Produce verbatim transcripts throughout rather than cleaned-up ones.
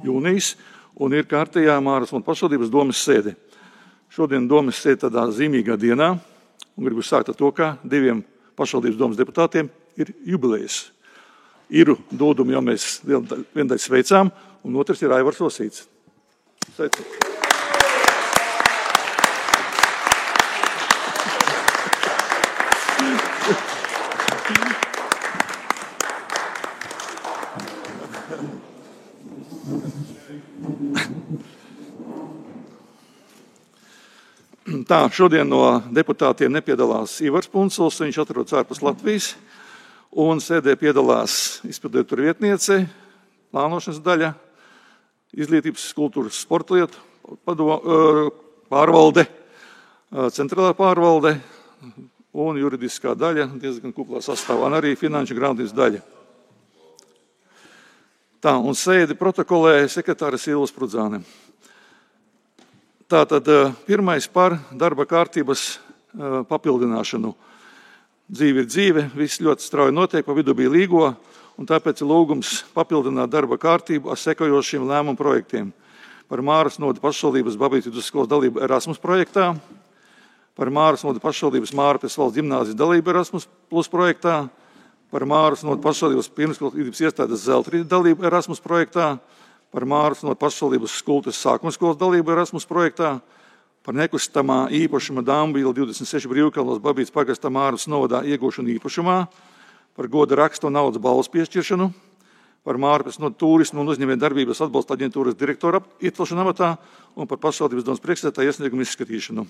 jūnijas, un ir kārtējā Māras un pašvaldības domes sēde. Šodien domes sēde tādā zīmīgā dienā, un gribu sākt ar to, ka diviem pašvaldības domes deputātiem ir jubilejas. Iru Dūdumu jau mēs viendaļ sveicām, un otrs ir Aivars Osīts. Sveicam! Tā, šodien no deputātiem nepiedalās Ivars Punculs, viņš atrodas ārpus Latvijas, un sēdē piedalās izpildirektora vietniece, plānošanas daļa, izglītības, kultūras, sporta lietu pārvalde, centrālā pārvalde un juridiskā daļa, diezgan kuplā sastāvā, un arī finanšu grāmatības daļa. Tā, un sēdi protokolē sekretāra Silvas Prudzāne. Tātad pirmais par darba kārtības papildināšanu. Dzīve ir dzīve, viss ļoti strauji notiek, pa vidu bija līgo, un tāpēc ir lūgums papildināt darba kārtību ar sekojošiem lēmumu projektiem. Par Māras novada pašvaldības Babītes vidusskolas dalību Erasmus projektā, par Māras novada pašvaldības Mārpes valsts ģimnāzijas dalību Erasmus plus projektā, par Māras novada pašvaldības pirmsskolas iestādes Zeltrīta dalību Erasmus projektā, par Māras novada pašvaldības Skultes sākuma skolas dalību Erasmus projektā, par nekustamā īpašuma Dambīla divdesmit seši brīvkalnos Babītes pagasta Māras novadā iegūšanu īpašumā, par goda rakstu un naudas balvas piešķiršanu, par Mārpes novada turismu un uzņēmēju darbības atbalsta aģentūras direktora iecelšanu amatā un par pašvaldības domes priekšsēdētāja iesniegumu izskatīšanu.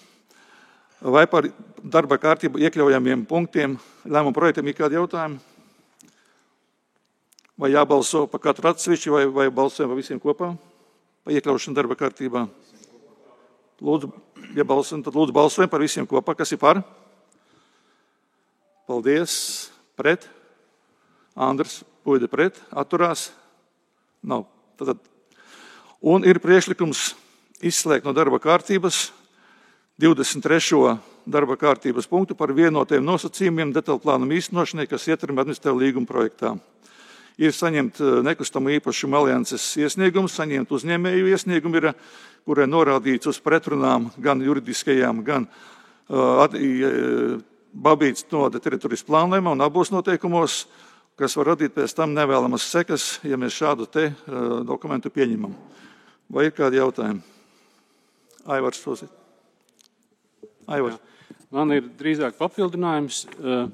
Vai par darba kārtību iekļaujamiem punktiem lēmumu projektiem ir kādi jautājumi? Vai jābalso pa katru atsevišķi, vai, vai balsojam pa visiem kopā? Pa iekļaušanu darba kārtībā. Lūdzu, ja balsojam, tad lūdzu balsojam par visiem kopā. Kas ir par? Paldies. Pret? Andrs Puide pret. Atturās? Nav. Tātad. Un ir priekšlikums izslēgt no darba kārtības divdesmit trešo darba kārtības punktu par vienotiem nosacījumiem detaļplānuma īstenošanai, kas ietverami administratīvā līguma projektā. Ir saņemt nekustamo īpašumu alianses iesniegumu, saņemt uzņēmēju iesniegumu, ir, kurai norādīts uz pretrunām gan juridiskajām, gan uh, Babītes novada teritorijas plānojumā un abos noteikumos, kas var radīt pēc tam nevēlamas sekas, ja mēs šādu te uh, dokumentu pieņemam. Vai ir kādi jautājumi? Aivars Osīts. Aivars. Jā. Man ir drīzāk papildinājums. Uh,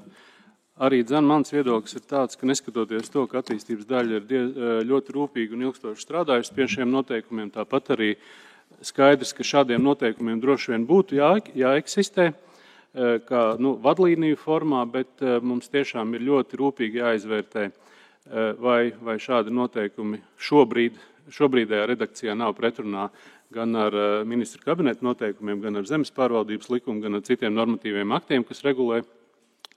Arī dzen mans viedoklis ir tāds, ka neskatoties to, ka attīstības daļa ir diez, ļoti rūpīgi un ilgstoši strādājusi pie šiem noteikumiem, tāpat arī skaidrs, ka šādiem noteikumiem droši vien būtu jā, jāeksistē, kā nu, vadlīniju formā, bet mums tiešām ir ļoti rūpīgi jāizvērtē, vai, vai šādi noteikumi šobrīd, šobrīdējā redakcijā nav pretrunā gan ar ministra kabineta noteikumiem, gan ar zemes pārvaldības likumu, gan ar citiem normatīviem aktiem, kas regulē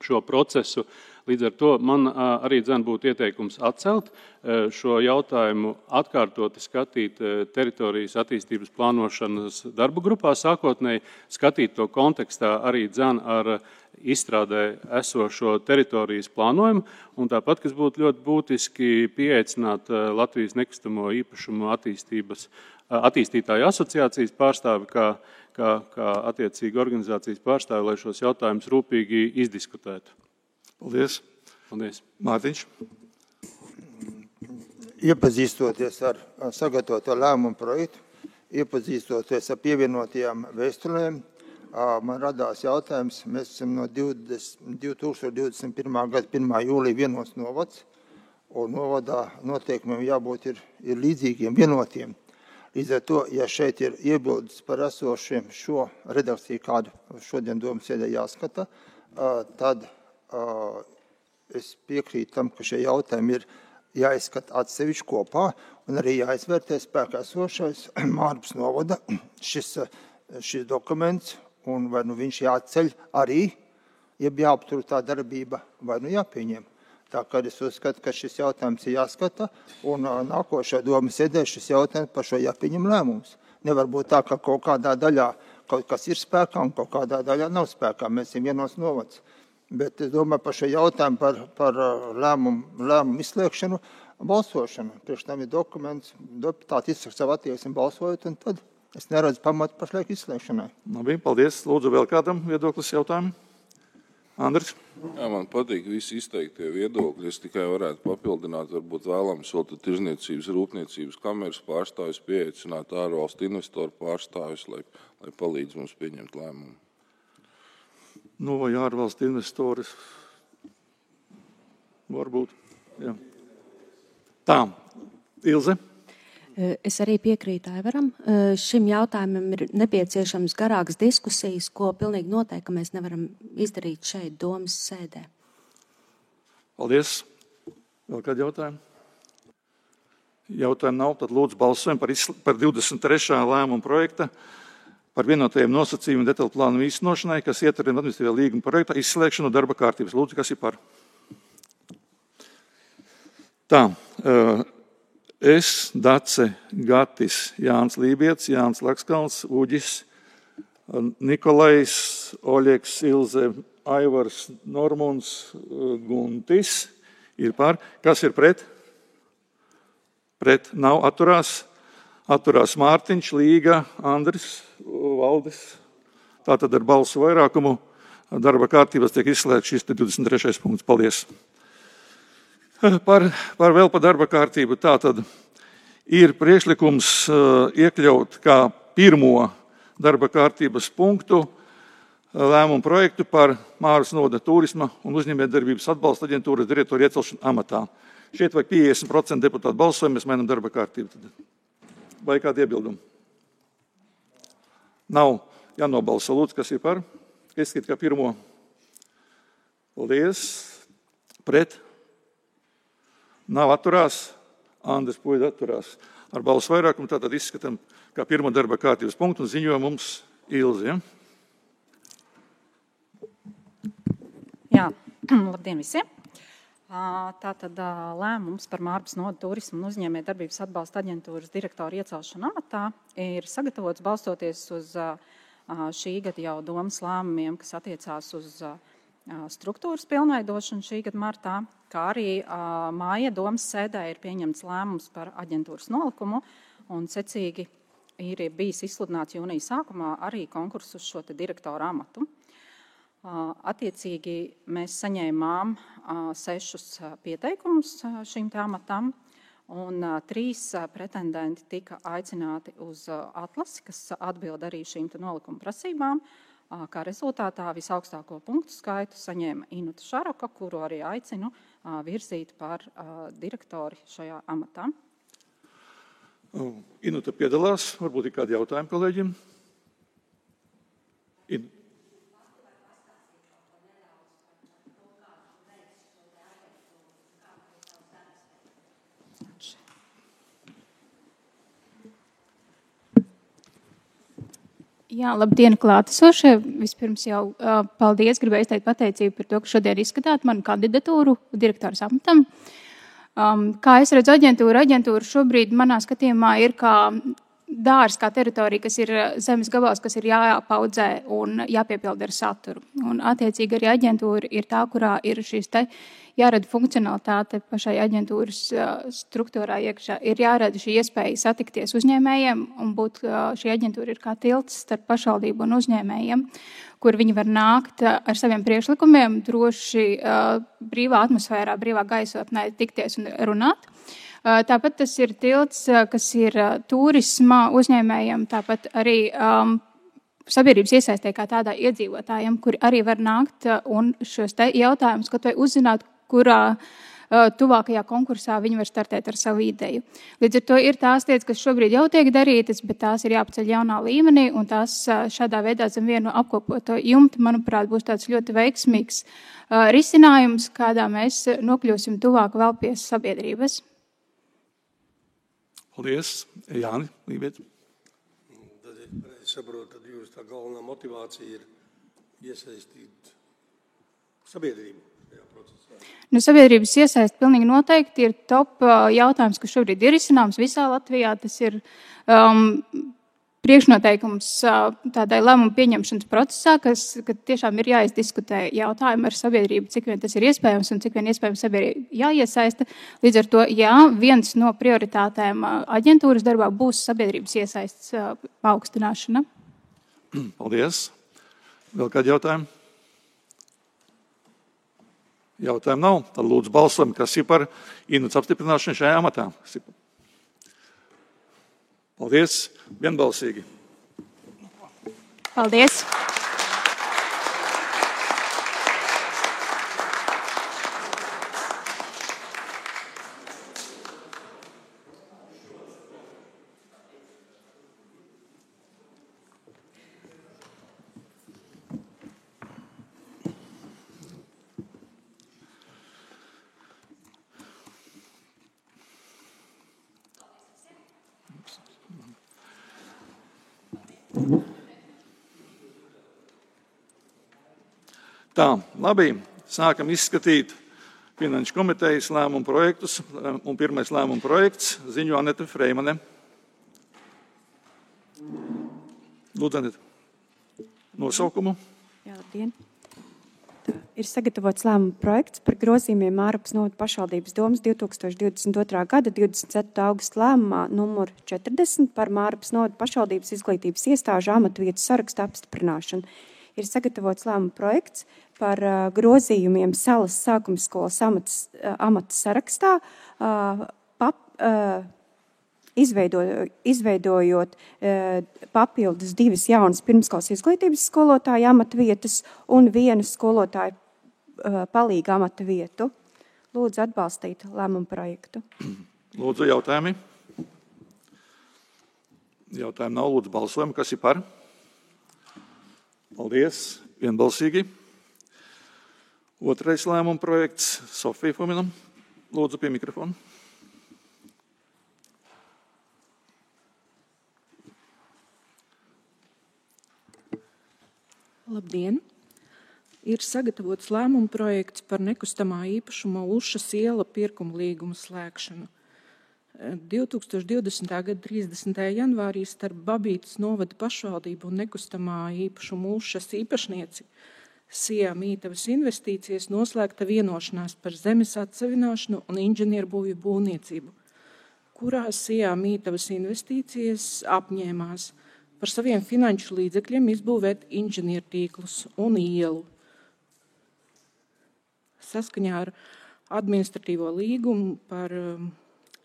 šo procesu. Līdz ar to man arī dzen būtu ieteikums atcelt šo jautājumu, atkārtoti skatīt teritorijas attīstības plānošanas darba grupā sākotnēji, skatīt to kontekstā arī dzen ar izstrādē esošo teritorijas plānojumu, un tāpat, kas būtu ļoti būtiski pieaicināt Latvijas nekustamo īpašumu attīstības attīstītāju asociācijas pārstāvi, kā kā, kā attiecīgi organizācijas pārstāvi, lai šos jautājumus rūpīgi izdiskutētu. Paldies. Paldies. Mārtiņš. Iepazīstoties ar sagatavoto lēmumu projektu, iepazīstoties ar pievienotajām vēstulēm, man radās jautājums, mēs esam no divi tūkstoši divdesmit pirmā gada pirmā jūlija vienos novads, un novadā noteikumiem jābūt ir, ir līdzīgiem vienotiem. Līdz ar to, ja šeit ir iebildes par esošiem šo redakciju, kādu šodien domas sēdē jāskata, tad es piekrītu tam, ka šie jautājumi ir jāizskata atsevišķi kopā un arī jāizvērtē spēkā esošais Mārpas novada šis, šis dokuments, un vai nu viņš jāceļ arī, jeb jāaptur tā darbība, vai nu jāpieņem. Tā kā es uzskatu, ka šis jautājums ir jāskata, un nākošajā domas sēdē šis jautājums par šo jāpieņem lēmums. Nevar būt tā, ka kaut kādā daļā kaut kas ir spēkā un kaut kādā daļā nav spēkā. Mēs esam vienos novads. Bet es domāju par šo jautājumu par, par lēmumu, lēmumu izslēgšanu, balsošanu. Priekš tam ir dokuments, deputāti izsaka savu attieksmi balsojot, un tad es neredzu pamatu pašlaik izslēgšanai. Labi, paldies. Lūdzu, vēl kādam viedoklis jautājumu? Andris? Jā, man patīk visi izteiktie viedokļi. Es tikai varētu papildināt, varbūt vēlams vēl tirzniecības, rūpniecības kameras pārstāvis pieaicināt ārvalstu investoru pārstāvis, lai, lai palīdz mums pieņemt lēmumu. Nu, vai ārvalstu investoris? Varbūt, jā. Tā, Ilze? Es arī piekrītu Aivaram. Šim jautājumam ir nepieciešams garākas diskusijas, ko pilnīgi noteikti, ka mēs nevaram izdarīt šeit domas sēdē. Paldies. Vēl kādi jautājumi? Jautājumu nav, tad lūdzu balsojam par, par divdesmit trešā lēmuma projekta par vienotajiem nosacījumiem detaļu plānu īstenošanai, kas ietver administratīvā līguma projekta izslēgšanu darba kārtības. Lūdzu, kas ir par? Tā. Uh, Es, Dace, Gatis, Jānis Lībietis, Jānis Lakskalns, Uģis, Nikolais, Oļeks, Ilze, Aivars, Normunds, Guntis ir par. Kas ir pret? Pret nav, atturās. Atturās Mārtiņš, Līga, Andris, Valdis. Tātad ar balsu vairākumu darba kārtības tiek izslēgts šis divdesmit trešais punkts. Paldies. Par, par vēl par darba kārtību. Tātad ir priekšlikums iekļaut kā pirmo darba kārtības punktu lēmumu projektu par Māras novada turisma un uzņēmējdarbības atbalsta aģentūras direktoru iecelšanu amatā. Šeit vai piecdesmit procenti deputātu balsojumu, mēs mainām darba kārtību. Vai kādi iebildumi? Nav jānobalso. Lūdzu, kas ir par? Izskatīt kā pirmo. Paldies. Pret? Nav, atturās. Andris Puida atturās. Ar balsu vairākumu tātad izskatām kā pirmo darba kārtības punktu un ziņoja mums Ilzi. Ja? Jā, labdien visiem. Tātad lēmums par Māras novada turisma un uzņēmējdarbības atbalsta aģentūras direktoru iecelšanu amatā ir sagatavots balstoties uz šī gada jau domas lēmumiem, kas attiecās uz struktūras pilnveidošanu šī gada martā, kā arī māja domas sēdē ir pieņemts lēmums par aģentūras nolikumu un secīgi ir bijis izsludināts jūnija sākumā arī konkurss uz šo te direktoru amatu. Attiecīgi mēs saņēmām sešus pieteikumus šīm te amatam un trīs pretendenti tika aicināti uz atlasi, kas atbild arī šīm te nolikuma prasībām. Kā rezultātā visaugstāko punktu skaitu saņēma Inuta Šaroka, kuru arī aicinu virzīt par direktori šajā amatā. Inuta piedalās. Varbūt ir kādi jautājumi kolēģiem? In... Jā, labdien, klātesošie. Vispirms jau uh, paldies, gribēju izteikt pateicību par to, ka šodien izskatāt manu kandidatūru direktoras amatam. Um, kā es redzu aģentūru, aģentūra šobrīd manā skatījumā ir kā dārs, kā teritorija, kas ir zemes gabals, kas ir jāpaudzē un jāpiepilda ar saturu. Un attiecīgi arī aģentūra ir tā, kurā ir šīs te jārada funkcionalitāte pašai aģentūras struktūrā iekšā. Ir jārada šī iespēja satikties uzņēmējiem un būt šī aģentūra ir kā tilts starp pašvaldību un uzņēmējiem, kur viņi var nākt ar saviem priekšlikumiem, droši brīvā atmosfērā, brīvā gaisotnē tikties un runāt. Tāpat tas ir tilts, kas ir turisma uzņēmējiem, tāpat arī um, sabiedrības iesaistē kā tādā iedzīvotājiem, kuri arī var nākt un šos te jautājumus, kaut vai uzzināt, kurā uh, tuvākajā konkursā viņi var startēt ar savu ideju. Līdz ar to ir tās lietas, kas šobrīd jau tiek darītas, bet tās ir jāpaceļ jaunā līmenī, un tās uh, šādā veidā zem vienu apkopoto jumtu, manuprāt, būs tāds ļoti veiksmīgs uh, risinājums, kādā mēs nokļūsim tuvāk vēl pie sabiedrības. Paldies. Jāni, Lībietis. Tad es saprotu, tad jūs tā galvenā motivācija ir iesaistīt sabiedrību šajā procesā. Nu, sabiedrības iesaist pilnīgi noteikti ir top jautājums, kas šobrīd ir izcināms visā Latvijā. Tas ir um, priekšnoteikums tādai lēmumu pieņemšanas procesā, kas, kad tiešām ir jāizdiskutē jautājumi ar sabiedrību, cik vien tas ir iespējams un cik vien iespējams sabiedrība jāiesaista. Līdz ar to, jā, viens no prioritātēm aģentūras darbā būs sabiedrības iesaists paaugstināšana. Paldies. Vēl kādi jautājumi? Jautājumu nav. Tad lūdzu balsojam, kas ir par Inuts apstiprināšanu šajā amatā. Paldies. Vienbalsīgi. Paldies. Tā, labi, sākam izskatīt Finanšu komitejas lēmumu projektus, un pirmais lēmumu projekts ziņo Anete Freimane. Lūdzu, Anete, nosaukumu. Jā, labdien. Tā, ir sagatavots lēmumu projekts par grozījumiem Mārupas novada pašvaldības domas divi tūkstoši divdesmit otrā gada divdesmit ceturtā augusta lēmumā numur četrdesmit par Mārupas novada pašvaldības izglītības iestāžu amatvietu sarakstu apstiprināšanu. Ir sagatavots lēmuma projekts par uh, grozījumiem Salas sākuma skolas amatas, uh, amata sarakstā, uh, pap, uh, izveido, izveidojot uh, papildus divas jaunas pirmskolas izglītības skolotāja amata vietas un vienu skolotāju uh, palīga amata vietu. Lūdzu atbalstīt lēmumu projektu. Lūdzu jautājumi. Jautājumi nav, lūdzu balsojam, kas ir par? Paldies, vienbalsīgi. Otrais lēmuma projekts Sofija Fominam. Lūdzu pie mikrofona. Labdien! Ir sagatavots lēmuma projekts par nekustamā īpašuma Ušas iela pirkuma līguma slēgšanu. divi tūkstoši divdesmitā gada trīsdesmitajā janvārī starp Babītas novada pašvaldību un nekustamā īpašuma Ušas īpašnieci Sijā Mītavas investīcijas noslēgta vienošanās par zemes atsavināšanu un inženierbūvju būvniecību, kurā Sijā Mītavas investīcijas apņēmās par saviem finanšu līdzekļiem izbūvēt inženiertīklus un ielu. Saskaņā ar administratīvo līgumu par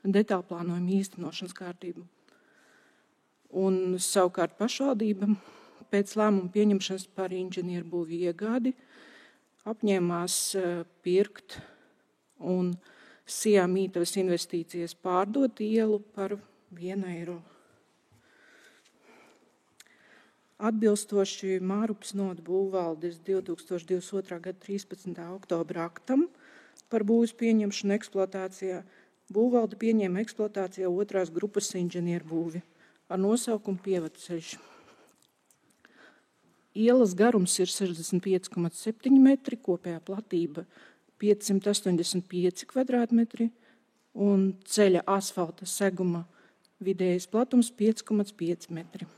detālplānojumu īstenošanas kārtību. Un savukārt pašvaldība pēc lēmuma pieņemšanas par inženierbūvju iegādi apņēmās pirkt un Sijā Mītavas investīcijas pārdot ielu par vienu eiro. Atbilstoši Mārupas novada būvvaldes divi tūkstoši divdesmit otrā gada trīspadsmitā oktobra aktam par būvs pieņemšanu eksploatācijā, būvvalde pieņēma eksploatācijā otrās grupas inženierbūvi ar nosaukumu Pievadceļš. Ielas garums ir sešdesmit pieci komats septiņi metri, kopējā platība piecsimt astoņdesmit pieci kvadrātmetri un ceļa asfalta seguma vidējais platums pieci komats pieci metri.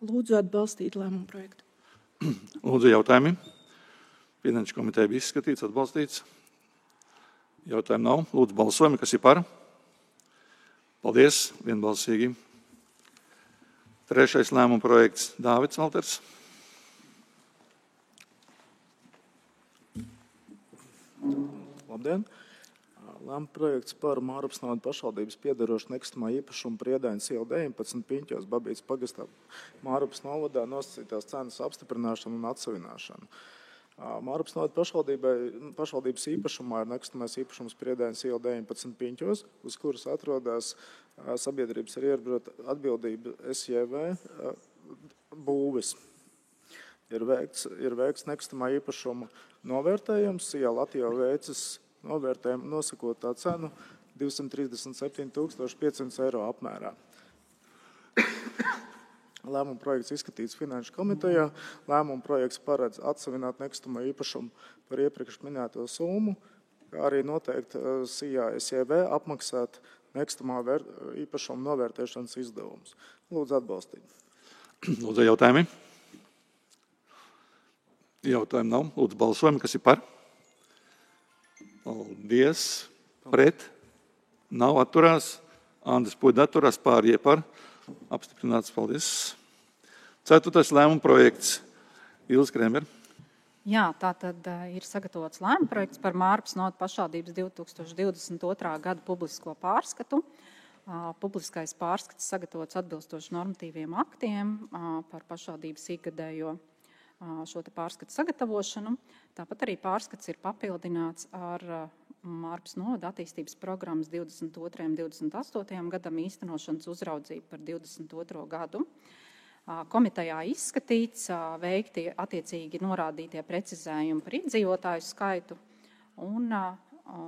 Lūdzu atbalstīt lēmumu projektu. Lūdzu jautājumi. Finanšu komiteja bija izskatīts, atbalstīts. Jautājumu nav. Lūdzu balsojumi, kas ir par? Paldies, vienbalsīgi. Trešais lēmuma projekts Dāvids Alters. Labdien! Lēmuma projekts par Mārupas novada pašvaldības piederošu nekustamā īpašuma Priedainas iela deviņpadsmit Piņķos Babītas pagastā Mārupas novadā nosacītās cenas apstiprināšanu un atsavināšanu. Mārupas novada pašvaldības īpašumā ir nekustamais īpašums Priedainas iela deviņpadsmit Piņķos, uz kuras atrodas sabiedrības ar ierobežotu atbildību S J V būvis. Ir veikts, ir veikts nekustamā īpašuma novērtējums, iela Latvijā veicis novērtējumu nosakot tā cenu divsimt trīsdesmit septiņi tūkstoši pieci simti eiro apmērā. Lēmuma projekts izskatīts Finanšu komitejā. Lēmuma projekts paredz atsavināt nekustamā īpašumu par iepriekš minēto summu, kā arī noteikti Sijā S J V apmaksāt nekustamā vēr, īpašuma novērtēšanas izdevumus. Lūdzu atbalstīt. Lūdzu jautājumi. Jautājumi nav. Lūdzu balsojumi, kas ir par? Paldies. Pret. Nav atturās. Andris Puida atturās, pārējie par. Apstiprināts. Paldies. Ceturtais lēmuma projekts. Ilze Krēmer. Jā, tā tad uh, ir sagatavots lēmuma projekts par Mārpas novadas pašvaldības divi tūkstoši divdesmit otrā gada publisko pārskatu. Uh, publiskais pārskats sagatavots atbilstoši normatīviem aktiem uh, par pašvaldības ikgadējo uh, šo te pārskatu sagatavošanu. Tāpat arī pārskats ir papildināts ar uh, Mārpas novada attīstības programmas divdesmit otrajam un divdesmit astotajam gadam īstenošanas uzraudzību par divdesmit otro gadu. Komitejā izskatīts, veikti attiecīgi norādītie precizējumi par iedzīvotāju skaitu un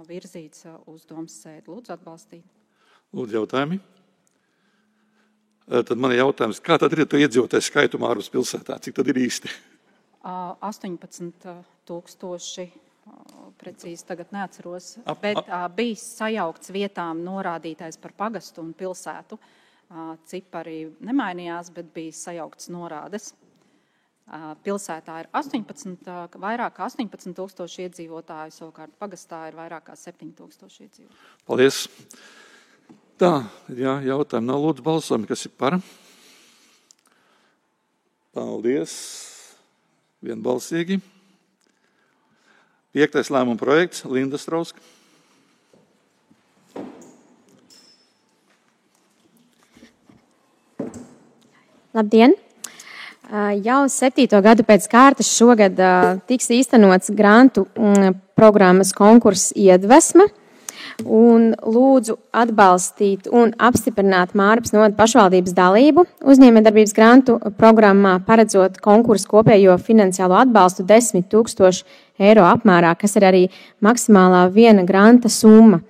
virzīts uz domas sēdi. Lūdzu atbalstīt. Lūdzu jautājumi. Tad man ir jautājums, kā tad ir to iedzīvotāju skaitu Mārpas pilsētā? Cik tad ir īsti? astoņpadsmit tūkstoši, precīzi tagad neatceros, bet bija sajaukts vietām norādītais par pagastu un pilsētu. Cipari nemainījās, bet bija sajaukts norādes. Pilsētā ir astoņpadsmit, vairāk kā astoņpadsmit tūkstoši iedzīvotāju, savukārt pagastā ir vairāk kā septiņi tūkstoši iedzīvotāju. Paldies. Tā, jā, jautājumi nav lūdzu balsojumi, kas ir par. Paldies. Vienbalsīgi. Piektais lēmuma projekts, Linda Strauska. Labdien! Jau septīto gadu pēc kārtas šogad tiks īstenots grantu programmas konkurss Iedvesma un lūdzu atbalstīt un apstiprināt Mārpas novada pašvaldības dalību uzņēmējdarbības grantu programmā, paredzot konkursu kopējo finansiālo atbalstu desmit tūkstoši eiro apmērā, kas ir arī maksimālā viena granta summa.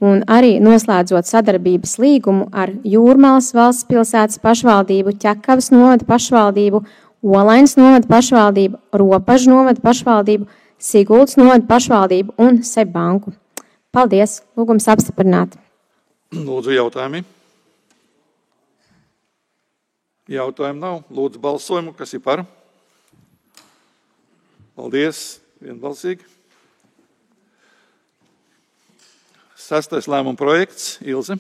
Un arī noslēdzot sadarbības līgumu ar Jūrmalas valsts pilsētas pašvaldību, Ķekavas novada pašvaldību, Olainas novada pašvaldību, Ropažu novada pašvaldību, Siguldas novada pašvaldību un Seibanku. Paldies! Lūgums apstiprināt. Lūdzu jautājumi. Jautājumu nav. Lūdzu balsojumu, kas ir par. Paldies! Vienbalsīgi. Sastais lēmuma projekts, Ilze.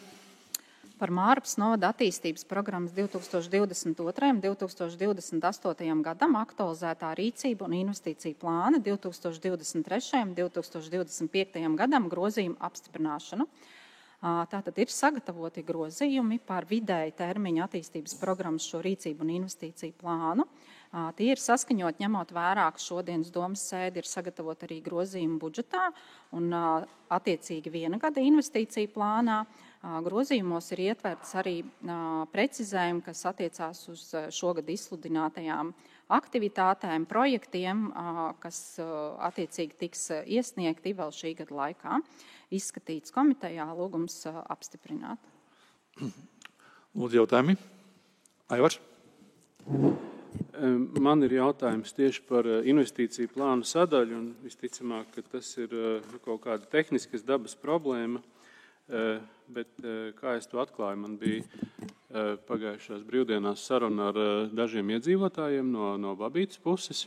Par Mārpas novada attīstības programmas divi tūkstoši divdesmit otrajam un divi tūkstoši divdesmit astotajam gadam aktualizētā rīcība un investīcija plāna divi tūkstoši divdesmit trešajam un divi tūkstoši divdesmit piektajam gadam grozījumu apstiprināšanu. Tātad ir sagatavoti grozījumi par vidēji termiņa attīstības programmas šo rīcību un investīciju plānu. Tie ir saskaņot, ņemot vērā, ka šodienas domas sēdi ir sagatavot arī grozījumu budžetā un attiecīgi viena gada investīciju plānā. Grozījumos ir ietverts arī precizējumi, kas attiecās uz šogad izsludinātajām aktivitātēm, projektiem, kas attiecīgi tiks iesniegti vēl šī gada laikā. Izskatīts komitejā, lūgums apstiprināt. Lūdzu jautājumi. Aivars. Man ir jautājums tieši par investīciju plānu sadaļu, un visticamāk, ka tas ir kaut kāda tehniskas dabas problēma, bet kā es to atklāju, man bija pagājušās brīvdienās saruna ar dažiem iedzīvotājiem no, no Babītas puses,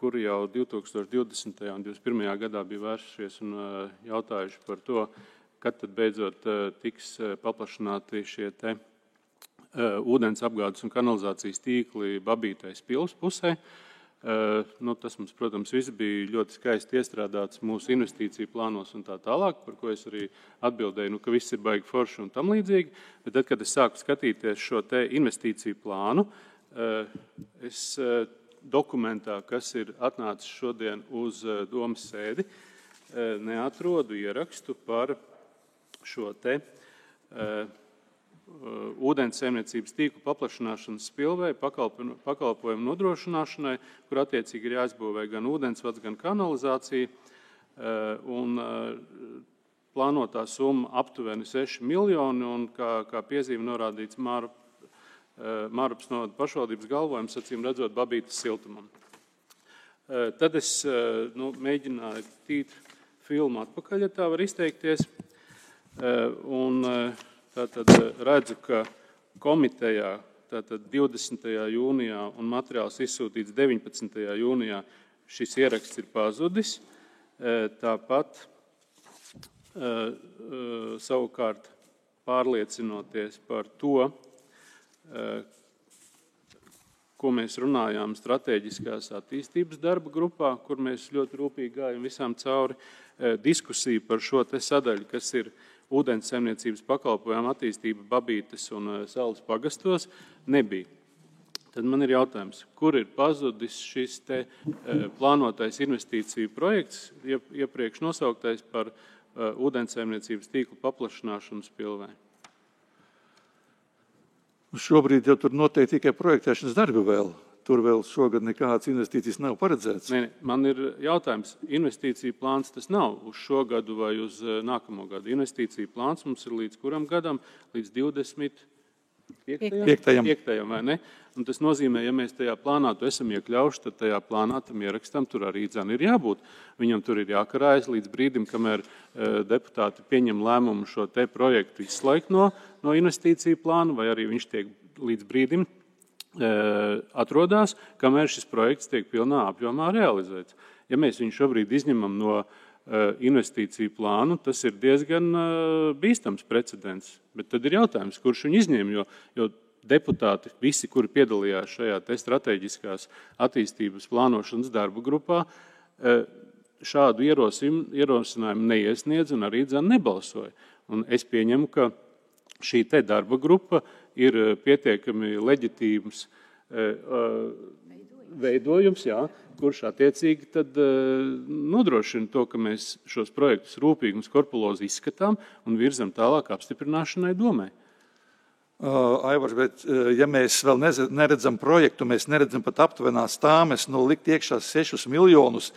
kuri jau divi tūkstoši divdesmitajā un divdesmit pirmajā gadā bija vērsušies un jautājuši par to, kad tad beidzot tiks paplašināti šie te ūdens apgādes un kanalizācijas tīkli Babītais pils pusē. Nu, tas mums, protams, viss bija ļoti skaisti iestrādāts mūsu investīciju plānos un tā tālāk, par ko es arī atbildēju, nu, ka viss ir baigi forši un tam līdzīgi. Bet tad, kad es sāku skatīties šo te investīciju plānu, es dokumentā, kas ir atnācis šodien uz domas sēdi, neatrodu ierakstu par šo te ūdens saimniecības tīklu paplašināšanas spilvei pakalpojumu nodrošināšanai, kur attiecīgi ir jāizbūvē gan ūdensvads, gan kanalizācija. Un plānotā summa aptuveni seši miljoni, un kā, kā piezīme norādīts Māru, Mārupas novada pašvaldības galvojums, acīm redzot, Babītas siltumam. Tad es nu, mēģināju tīt filmu atpakaļ, ja tā var izteikties. Un tātad redzu, ka komitejā tātad divdesmitajā jūnijā un materiāls izsūtīts deviņpadsmitajā jūnijā šis ieraksts ir pazudis. Tāpat savukārt pārliecinoties par to, ko mēs runājām strateģiskās attīstības darba grupā, kur mēs ļoti rūpīgi gājam visām cauri, diskusiju par šo te sadaļu, kas ir ūdens saimniecības pakalpojumu attīstība Babītes un Salas pagastos, nebija. Tad man ir jautājums, kur ir pazudis šis te plānotais investīciju projekts, iepriekš nosauktais par ūdens saimniecības tīklu paplašināšanu Spilvē? Šobrīd jau tur notiek tikai projektēšanas darbi vēl. Tur vēl šogad nekādas investīcijas nav paredzētas. Ne, man ir jautājums, investīcija plāns tas nav uz šo gadu vai uz nākamo gadu. Investīcija plāns mums ir līdz kuram gadam? Līdz divdesmit piektajam, vai ne? Un tas nozīmē, ja mēs tajā plānā to esam iekļauši, tad tajā plānā tam ierakstam tur arī dzan ir jābūt. Viņam tur ir jākarājas līdz brīdim, kamēr deputāti pieņem lēmumu šo te projektu izslēgt no, no investīciju plāna, vai arī viņš tiek līdz brīdim atrodās, kamēr šis projekts tiek pilnā apjomā realizēts. Ja mēs viņu šobrīd izņemam no investīciju plānu, tas ir diezgan bīstams precedents. Bet tad ir jautājums, kurš viņu izņem, jo, jo deputāti, visi, kuri piedalījās šajā te strateģiskās attīstības plānošanas darba grupā, šādu ierosinājumu neiesniedz un arī dzan nebalsoja. Un es pieņemu, ka šī te darba grupa ir pietiekami leģitīms veidojums, jā, kurš attiecīgi tad nodrošina to, ka mēs šos projektus rūpīgi un skorpulozi izskatām un virzam tālāk apstiprināšanai domē. Uh, Aivars, bet uh, ja mēs vēl neredzam projektu, mēs neredzam pat aptuvenās tāmes, no likt iekšā sešus miljonus,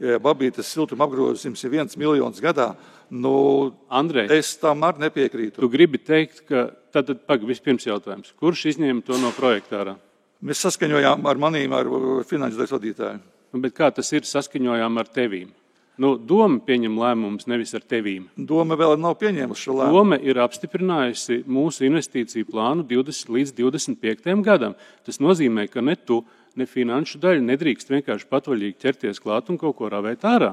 ja Babītes siltuma apgrozījums ir viens miljons gadā, nu, Andrej, es tam arī nepiekrītu. Tu gribi teikt, ka tad pag, vispirms jautājums, kurš izņēma to no projektārā? Mēs saskaņojām ar manīm, ar finanšu daļas vadītāju. Bet kā tas ir saskaņojām ar tevīm? Nu, doma pieņem lēmumus nevis ar tevīm. Doma vēl nav pieņēmusi šo lēmumu. Doma ir apstiprinājusi mūsu investīciju plānu divdesmit līdz divdesmit piektajam gadam. Tas nozīmē, ka ne tu, ne finanšu daļa nedrīkst vienkārši patvaļīgi ķerties klāt un kaut ko ravēt ārā.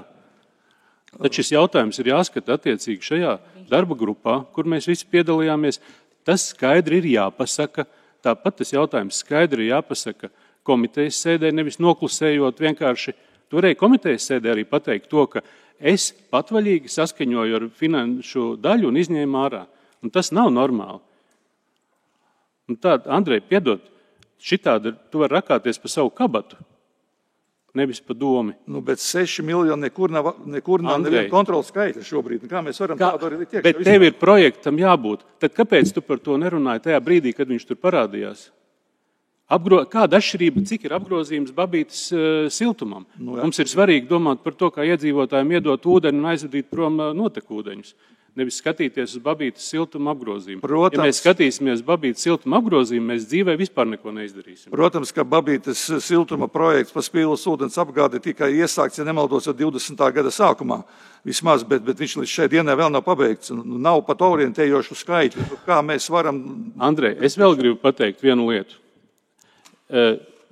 Tad šis jautājums ir jāskata attiecīgi šajā darba grupā, kur mēs visi piedalījāmies. Tas skaidri ir jāpasaka. Tāpat tas jautājums skaidri ir jāpasaka komitejas sēdē, nevis noklusējot vienkārši. Toreiz komitejas sēdē arī pateikt to, ka es patvaļīgi saskaņoju ar finanšu daļu un izņēmu ārā. Un tas nav normāli. Un tā, Andrej, piedod, šitādi tu vari rakāties pa savu kabatu, nevis pa domi. Nu, bet seši miljoni nekur nav, nekur nav neviena kontrolas skaitļa šobrīd. Kā mēs varam Kā, tādu arī likt iekšā? Bet tev ir projektam jābūt. Tad kāpēc tu par to nerunāji tajā brīdī, kad viņš tur parādījās? Apgro... Kāda atšķirība, cik ir apgrozījums Babītes uh, siltumam? Nu, Mums ir svarīgi domāt par to, kā iedzīvotājiem iedot ūdeni un aizvadīt prom uh, notekūdeņus. Nevis skatīties uz Babītes siltuma apgrozījumu. Protams, ja mēs skatīsimies uz Babītes siltuma apgrozījumu, mēs dzīvē vispār neko neizdarīsim. Protams, ka Babītes siltuma projekts par Spīles ūdens apgādi tikai iesākts, ja nemaldos, jau divdesmitā gada sākumā. Vismaz, bet, bet viņš līdz šai dienai vēl nav pabeigts. Nav pat orientējošu skaitļu. Kā mēs varam... Andrej, es vēl gribu pateikt vienu lietu.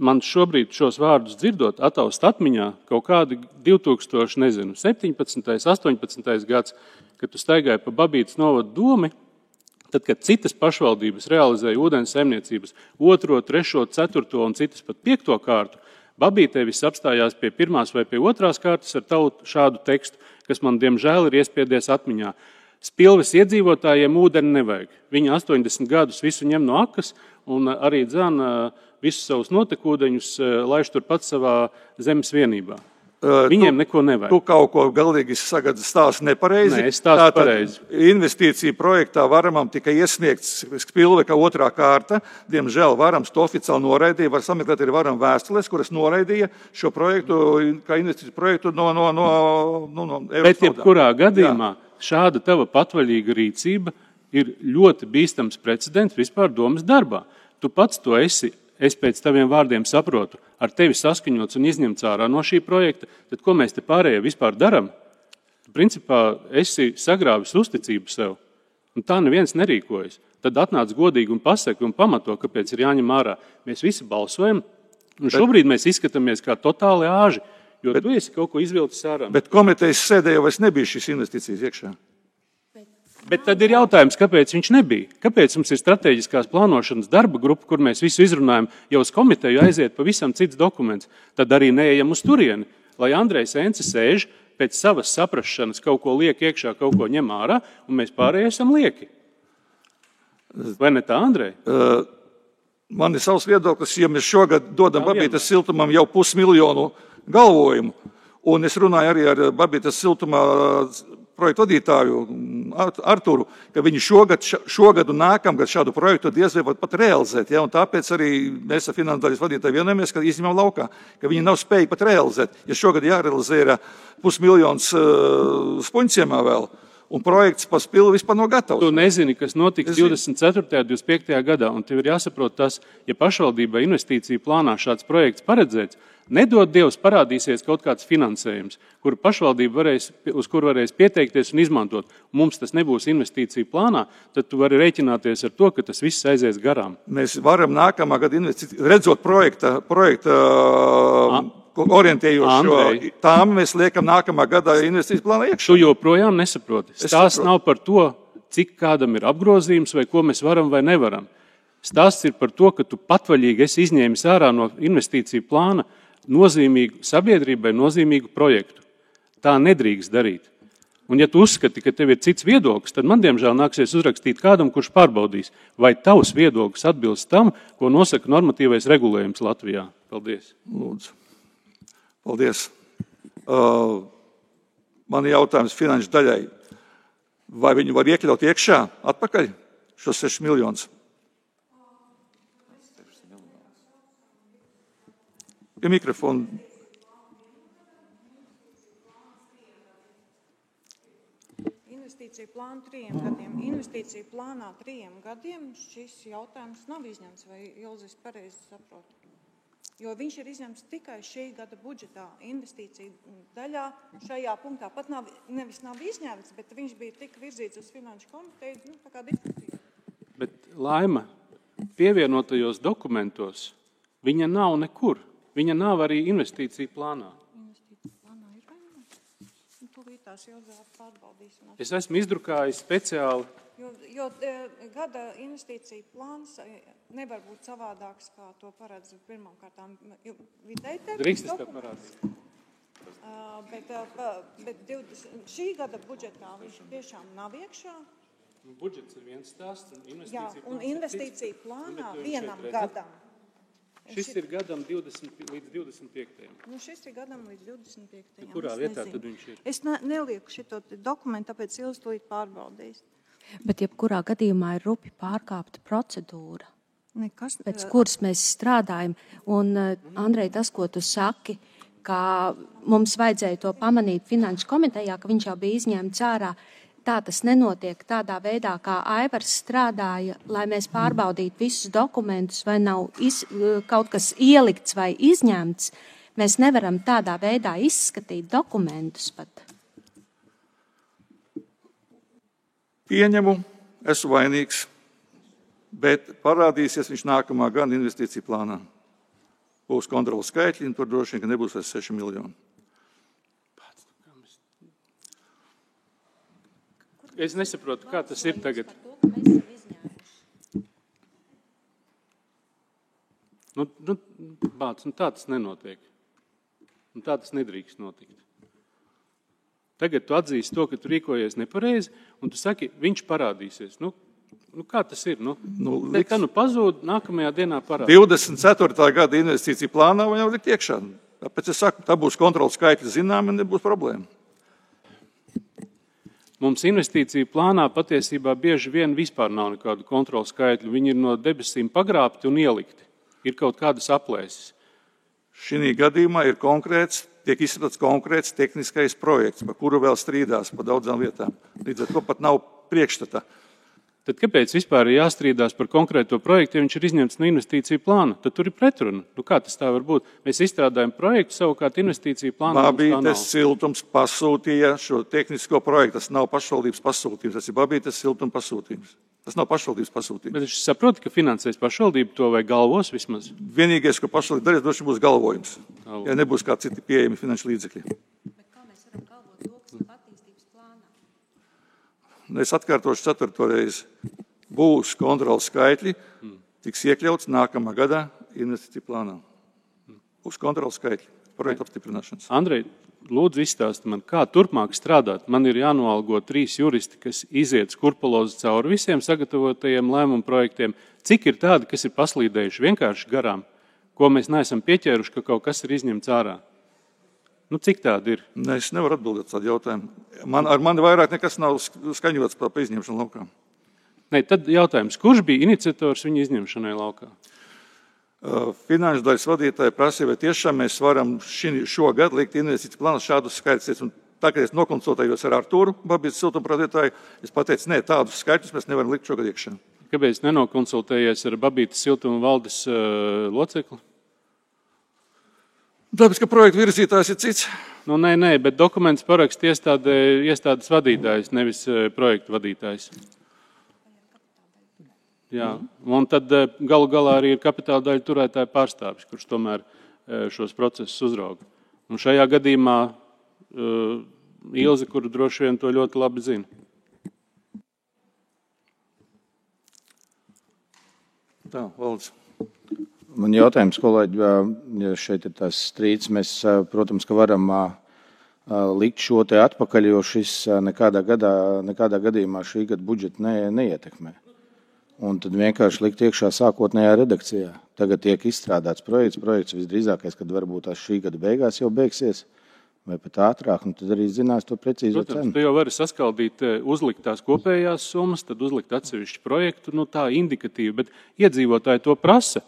Man šobrīd šos vārdus dzirdot, ataust atmiņā kaut kādi divi tūkstoši septiņpadsmitais, astoņpadsmitais gads, kad tu staigāji pa Babītes novadu domi, tad, kad citas pašvaldības realizēja ūdens saimniecības otro, trešo, ceturto un citas pat piekto kārtu, Babītē viss apstājās pie pirmās vai pie otrās kārtas ar tavu šādu tekstu, kas man diemžēl ir iespiedies atmiņā. Spilves iedzīvotājiem ūdeni nevajag. Viņi astoņdesmit gadus visu ņem no akas un arī dzana visus savus notekūdeņus laiž turpat savā zemes vienībā. Viņiem tu, neko nevajag. Tu kaut ko galīgi sagadi stāsti nepareizi. Nē, es stāstu pareizi. Investīcija projektā Varamam tika iesniegts Spilve kā otrā kārta. Diemžēl Varams to oficiāli noraidīja. Var sameklēt arī Varam vēstules, kuras noraidīja šo projektu kā investīciju projektu no, no, no, no, no Eiropas. Bet jebkurā gadījumā Jā. Šāda tava patvaļīga rīcība ir ļoti bīstams precedents vispār domas darbā. Tu pats to esi. Es pēc taviem vārdiem saprotu, ar tevi saskaņots un izņemts ārā no šī projekta, tad ko mēs te pārējie vispār daram? Tu, principā, esi sagrāvis uzticību sev. Un tā neviens nerīkojas. Tad atnāc godīgi un pasaka un pamato, kāpēc ir jāņem ārā. Mēs visi balsojam, un šobrīd mēs izskatāmies kā totāli āži, jo bet, tu esi kaut ko izvilcis ārā. Bet komitejas sēdē jau vairs nebija šīs investīcijas iekšā. Bet tad ir jautājums, kāpēc viņš nebija? Kāpēc mums ir strateģiskās plānošanas darba grupa, kur mēs visu izrunājam, jau uz komiteju aiziet pavisam cits dokuments? Tad arī neejam uz turieni, lai Andrejs Ence sēž, pēc savas saprašanas kaut ko liek iekšā, kaut ko ņem ārā, un mēs pārējie esam lieki. Vai ne tā, Andrej? Uh, man ir savs viedoklis, ja mēs šogad dodam Babītas siltumam jau pusmiljonu galvojumu, un es runāju arī ar Babītas siltumā projektu vadītāju Arturu, ka viņi šogad, šogad un nākamgad šādu projektu diez vai pat realizēt. Ja? Un tāpēc arī mēs ar finanses vadītāju vienojamies, ka izņemam laukā, ka viņi nav spējīgi pat realizēt. Ja šogad jārealizē ir pusmiljons uh, Spunķiemā vēl, un projekts pa spilu vispār nav gatavs. Tu nezini, kas notiks divdesmit ceturtajā, divdesmit piektajā gadā, un tev ir jāsaprot tas, ja pašvaldībai investīciju plānā šāds projekts paredzēts, nedod Dievs parādīsies kaut kāds finansējums, kur pašvaldība varēs, uz kur varēs pieteikties un izmantot. Mums tas nebūs investīciju plānā, tad tu vari rēķināties ar to, ka tas viss aizies garām. Mēs varam nākamā gada investīciju, redzot projekta, projekta A, orientējošo tām, mēs liekam nākamā gada investīciju plānā iekšā. Tu joprojām nesaproti. Stāsts nav par to, cik kādam ir apgrozījums vai ko mēs varam vai nevaram. Stāsts ir par to, ka tu patvaļīgi esi izņēmis ārā no investīciju plāna nozīmīgu sabiedrībai, nozīmīgu projektu. Tā nedrīkst darīt. Un ja tu uzskati, ka tev ir cits viedoklis, tad man diemžēl nāksies uzrakstīt kādam, kurš pārbaudīs, vai tavs viedoklis atbilst tam, ko nosaka normatīvais regulējums Latvijā. Paldies. Lūdzu. Paldies. Uh, man ir jautājums finanšu daļai. Vai viņi var iekļaut iekšā atpakaļ šos sešus miljonus? Ja mikrofonu. Investīciju plānu trījiem gadiem. Investīciju plānā trījiem gadiem šis jautājums nav izņemts, vai Ilzis pareizi saprot? Jo viņš ir izņemts tikai šī gada budžetā. Investīciju daļā šajā punktā pat nav, nevis nav izņemts, bet viņš bija tik virzīts uz finanšu komiteju, nu, tā kā diskusija. Bet, Laima, pievienotajos dokumentos viņa nav nekur. Viņa nav arī investīciju plānā. Investīciju plānā ir vai nav? Tūlītās jau pārbaudīs. Es esmu izdrukājis speciāli. Jo, jo gada investīcija plāns nevar būt savādāks, kā to paredz pirmām kārtām vidēji termiņu. Drīkst es tev parādīt. Uh, bet bet divdesmit, šī gada budžetā viņš tiešām nav iekšā. Budžets ir viens stāsts. Un investīcija Jā, un investīcija plānā vienam šeit, gadam. Šis ir gadam divdesmit līdz divdesmit piektajam. Nu, šis ir gadam līdz divdesmit piektajam. Kurā vietā tad viņš ir? Es ne, nelieku šito dokumentu, tāpēc Ilz tūlīt pārbaudīs. Bet jebkurā gadījumā ir rupi pārkāpta procedūra, Nekas, pēc kuras mēs strādājam. Un, Andrej, tas, ko tu saki, ka mums vajadzēja to pamanīt finanšu komitejā, ka viņš jau bija izņemts ārā, tā tas nenotiek tādā veidā, kā Aivars strādāja, lai mēs pārbaudītu visus dokumentus, vai nav iz, kaut kas ielikts vai izņemts. Mēs nevaram tādā veidā izskatīt dokumentus pat. Pieņemu, esmu vainīgs, bet parādīsies viņš nākamā gada investīciju plānā. Būs kontrolas skaitļi, un tur droši vien, ka nebūs vairs seši miljoni. Es nesaprotu, kā tas ir tagad. Nu, nu, bāc, nu tā tas nenotiek. Un tā tas nedrīkst notikt. Tagad tu atzīsti to, ka tu rīkojies nepareizi, un tu saki, viņš parādīsies. Nu, nu kā tas ir? Nu, nu, liks... Tā nu pazūd, nākamajā dienā parādīs. divdesmit ceturtā gada investīcija plānā vai jau likt iekšā. Tāpēc es saku, tā būs kontrolas skaitļi zinām, un nebūs problēma. Mums investīciju plānā patiesībā bieži vien vispār nav nekādu kontrolu skaitļu. Viņi ir no debesīm pagrābti un ielikti. Ir kaut kādas aplēses. Šī gadījumā ir konkrēts, tiek izstrādāts konkrēts tehniskais projekts, par kuru vēl strīdās pa daudzām vietām. Līdz ar to pat nav priekšstata. Tad kāpēc vispār ir jāstrīdās par konkrēto projektu, ja viņš ir izņemts no investīciju plāna? Tad tur ir pretruna. Nu, kā tas tā var būt? Mēs izstrādājam projektu, savukārt investīciju plānu. Babītes siltums pasūtīja šo tehnisko projektu. Tas nav pašvaldības pasūtījums, tas ir Babītes siltuma pasūtījums. Tas nav pašvaldības pasūtījums. Bet es saprotu, ka finansēs pašvaldību to vai galvos vismaz? Vienīgais, ko pašvaldība darīs, droši būs galvojums, Galvo. ja nebūs kā citi pieejami finanšu līdzekļi. Es atkārtošu ceturto reizi. Būs kontrolas skaitļi, tiks iekļauts nākamā gadā investīciju plānā. Būs kontrolas skaitļi, projektu apstiprināšanas. Andrej, lūdzu izstāsti man, kā turpmāk strādāt. Man ir jānoalgo trīs juristi, kas iziet skurpulozi cauri visiem sagatavotajiem lēmumu projektiem. Cik ir tādi, kas ir paslīdējuši vienkārši garām, ko mēs neesam pieķēruši, ka kaut kas ir izņemts ārā? Nu, cik tādi ir? Ne, es nevaru atbildēt tādu jautājumu. Man, ar mani vairāk nekas nav skaņots par izņemšanu laukā. Ne, tad jautājums, kurš bija iniciators viņa izņemšanai laukā? Uh, finanšu daļas vadītāji prasīja, vai tiešām mēs varam šī, šogad likt investīciju plānu šādus skaitļus. Tā, kad es nokonsultējos ar Artūru, Babītes siltumradītāju, es pateicu, ne, tādus skaitļus mēs nevaram likt šogad iekšā. Kāpēc nenokonsultējies ar Babītes siltuma valdes uh, locekli? Tāpēc, ka projektu virzītājs ir cits. Nu, nē, nē, bet dokuments parakst iestāde, iestādes vadītājs, nevis projektu vadītājs. Jā, un tad galu galā arī ir kapitāla daļa turētāja pārstāvis, kurš tomēr šos procesus uzrauga. Un šajā gadījumā uh, Ilze, kuru droši vien to ļoti labi zina. Tā, Valdis. Man jautājums, kolēģi, ja šeit ir tās strīds, mēs, protams, ka varam likt šo te atpakaļ, jo šis nekādā, gadā, nekādā gadījumā šī gada budžetu ne, neietekmē. Un tad vienkārši likt iekšā sākotnējā redakcijā. Tagad tiek izstrādāts projekts, projekts visdrīzākais, kad varbūt tās šī gada beigās jau beigsies, vai pat ātrāk, un tad arī zinās to precīzo Protams, cenu. Tu jau vari saskaldīt, uzlikt tās kopējās summas, tad uzlikt atsevišķu projektu, nu tā indikatīvi, bet iedzīvotāji to prasa.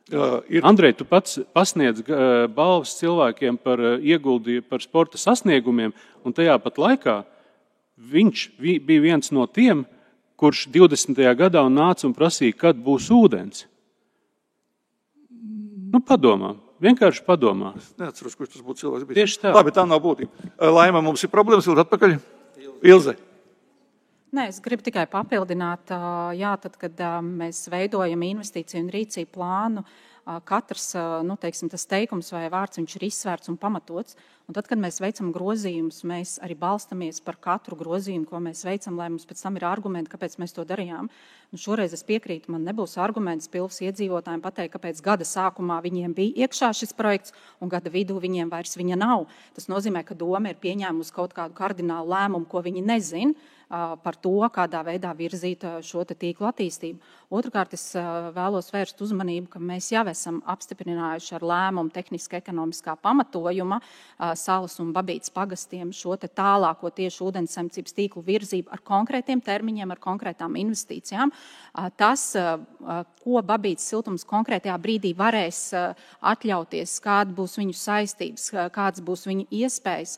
Uh, ir... Andrej, tu pats pasniedz uh, balvas cilvēkiem par uh, ieguldījumu, par sporta sasniegumiem, un tajā pat laikā viņš vi, bija viens no tiem, kurš divdesmitajā gadā nāca un prasīja, kad būs ūdens. Nu, padomā, vienkārši padomā. Es neatceros, kurš tas būtu cilvēks bijis. Tieši tā. Labi, tā nav būtība. Laima, mums ir problēmas, ilgi atpakaļ. Ilze. Nē, es gribu tikai papildināt, jā, tad, kad mēs veidojam investīciju un rīcību plānu, katrs, nu, teiksim, tas teikums vai vārds, viņš ir izsvērts un pamatots. Un tad, kad mēs veicam grozījumus, mēs arī balstamies par katru grozījumu, ko mēs veicam, lai mums pēc tam ir argumenti, kāpēc mēs to darījām. Un šoreiz es piekrītu, man nebūs arguments pilsas iedzīvotājiem pateikt, kāpēc gada sākumā viņiem bija iekšā šis projekts un gada vidū viņiem vairs viņa nav. Tas nozīmē, ka doma ir pieņēmusi kaut kādu kardinālu lēmumu, ko viņi nezin par to, kādā veidā virzīt šo te tīklu attīstību. Otrakārt, es vēlos vērst uzmanību, ka mēs jau esam apstiprinājuši ar lēmumu tehniski ekonomiskā pamatojuma Salas un Babītes pagastiem šo te tālāko tieši ūdenssaimniecības tīklu virzību ar konkrētiem termiņiem, ar konkrētām investīcijām. Tas, ko Babītes siltums konkrētajā brīdī varēs atļauties, kāda būs viņu saistības, kādas būs viņu iespējas,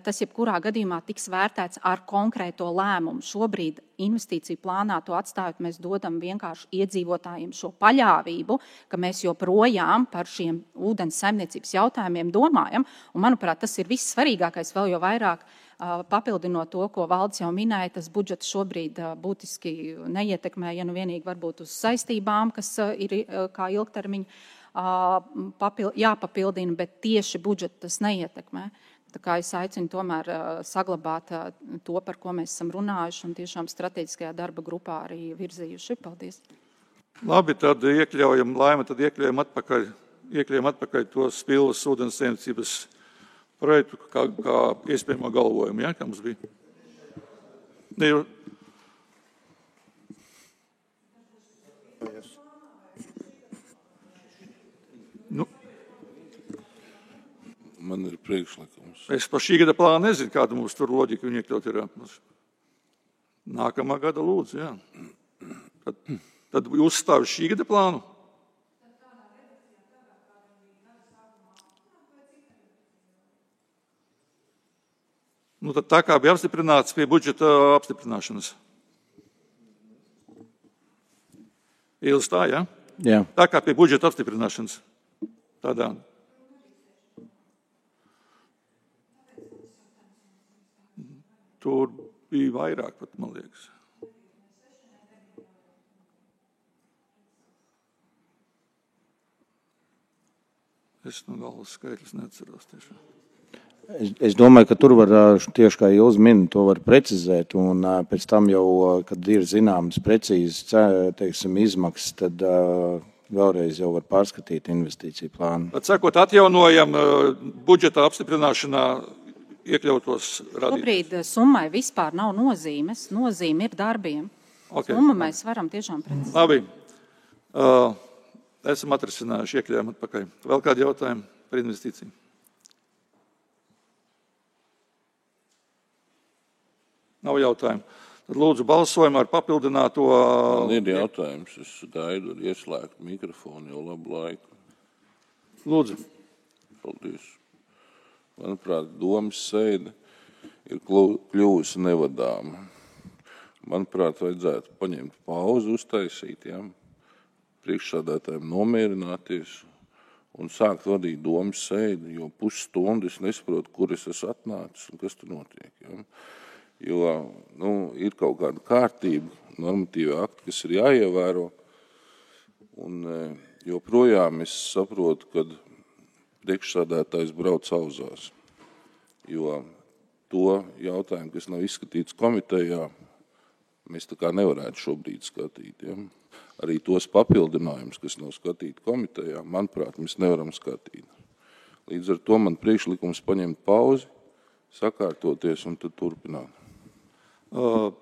tas jebkurā gadījumā tiks vērtēts ar konkrēto lēmumu. Šobrīd investīciju plānā to atstājot, mēs dodam vienkārši iedzīvotājiem šo paļāvību, ka mēs joprojām par šiem ūdens saimniecības jautājumiem domājam. Un, manuprāt, tas ir viss svarīgākais, vēl jau vairāk papildinot to, ko Valdis jau minēja, tas budžets šobrīd būtiski neietekmē, ja nu vienīgi varbūt uz saistībām, kas ir kā ilgtermiņa jāpapildina, bet tieši budžetu tas neietekmē. Tā kā es aicinu tomēr saglabāt to, par ko mēs esam runājuši un tiešām strateģiskajā darba grupā arī virzījuši. Paldies. Labi, tad iekļaujam, Laima, tad iekļaujam atpakaļ, iekļaujam atpakaļ to Spilvas ūdenssaimniecības projektu kā, kā iespējamo galvojumu, ja, kā mums bija. Ne, jo... Nu. Man ir priekšlikums. Es par šī gada plānu nezinu, kāda mums tur loģika viņa iekļaut ir. Nākamā gada lūdzu, jā. Tad, tad uzstāvi šī gada plānu. Nu, tad tā kā bija apstiprināts pie budžeta apstiprināšanas. Ilz tā, jā? Jā. Tā kā pie budžeta apstiprināšanas. Tādā. Tur bija vairāk pat, man liekas. Es no galvas skaitļus neatceros tiešām. Es, es domāju, ka tur var tieši kā Ilz min, to var precizēt, un pēc tam jau, kad ir zināmas precīzes, teiksim, izmaksas, tad vēlreiz jau var pārskatīt investīciju plānu. Tad sakot, atjaunojam budžeta apstiprināšanā iekļautos radīt. Šobrīd summai vispār nav nozīmes, nozīme ir darbiem. Okay. Summa mēs varam tiešām precizēt. Labi. Uh, esam atrisinājuši, iekļājam atpakaļ. Vēl kādi jautājumi par investīciju? Nav jautājumu. Tad lūdzu balsojumu ar papildināto... Man ir jautājums, es gaidu ar ieslēgt mikrofonu jau labu laiku. Lūdzu. Paldies. Manuprāt, domas sēde ir kļuvusi nevadāma. Manuprāt, vajadzētu paņemt pauzi, uztaisīt, ja? Priekšsādātājiem nomierināties un sākt vadīt domas sēdi, jo pusstundu es nesaprotu, kur es esmu atnācis un kas tur notiek. Ja? Jo nu, ir kaut kāda kārtība, normatīva akti, kas ir jāievēro. Un joprojām es saprotu, ka priekšsādātājs brauc auzās. Jo to jautājumu, kas nav izskatīts komitejā, mēs tā kā nevarētu šobrīd skatīt. Ja? Arī tos papildinājumus, kas nav skatīti komitejā, manuprāt, mēs nevaram skatīt. Līdz ar to man priekšlikums paņemt pauzi, sakārtoties un tad turpināt. Uh,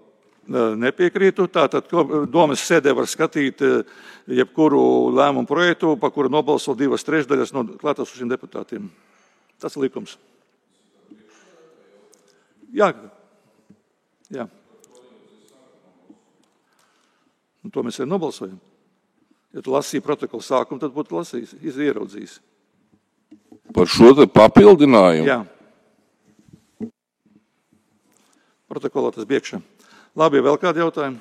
nepiekrītu. Tātad domas sēdē var skatīt jebkuru lēmumu projektu, pa kuru nobalso divas trešdaļas no klātesošiem deputātiem. Tas ir likums. Jā. Jā. Un to mēs arī nobalsojam. Ja tu lasīji protokolu sākumu, tad būtu lasījis, ieraudzījis. Par šo te papildinājumu? Jā. Protokolā tas biekšā. Labi, vēl kādi jautājumi?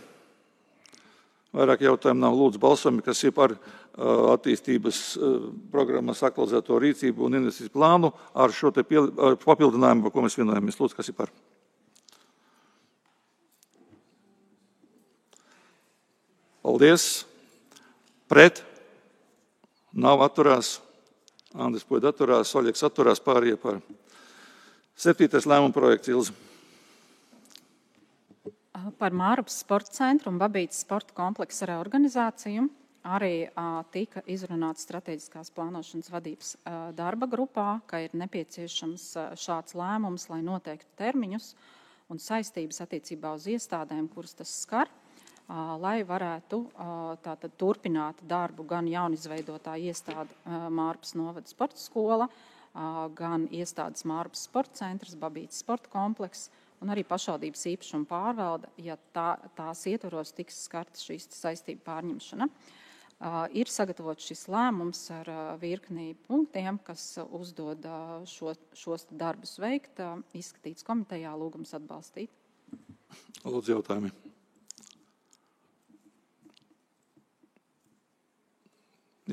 Vairāk jautājumu nav. Lūdzu balsojumi, kas ir par uh, attīstības uh, programmas aktualizēto rīcību un investīciju plānu ar šo te piel, uh, papildinājumu, par ko mēs vienojamies. Lūdzu, kas ir par? Paldies. Pret? Nav atturās. Andris Puida atturās, Oļeks atturās, pārējie par. Septītais lēmuma projekts, Ilze. Par Mārupas sporta centru un Babītes sporta kompleksa reorganizāciju arī a, tika izrunāts strateģiskās plānošanas vadības a, darba grupā, ka ir nepieciešams a, šāds lēmums, lai noteiktu termiņus un saistības attiecībā uz iestādēm, kuras tas skar, a, lai varētu a, tātad turpināt darbu gan jaunizveidotā iestāde a, Mārupas novada sporta skola, a, gan iestādes Mārupas sporta centrs, Babītes sporta komplekss, un arī pašvaldības īpašuma pārvalde, ja tā, tās ietvaros tiks skarta šīs saistību pārņemšana. Uh, ir sagatavots šis lēmums ar uh, virknī punktiem, kas uh, uzdod uh, šo, šos darbus veikt, uh, izskatīts komitejā, lūgums atbalstīt. Lūdzu jautājumi.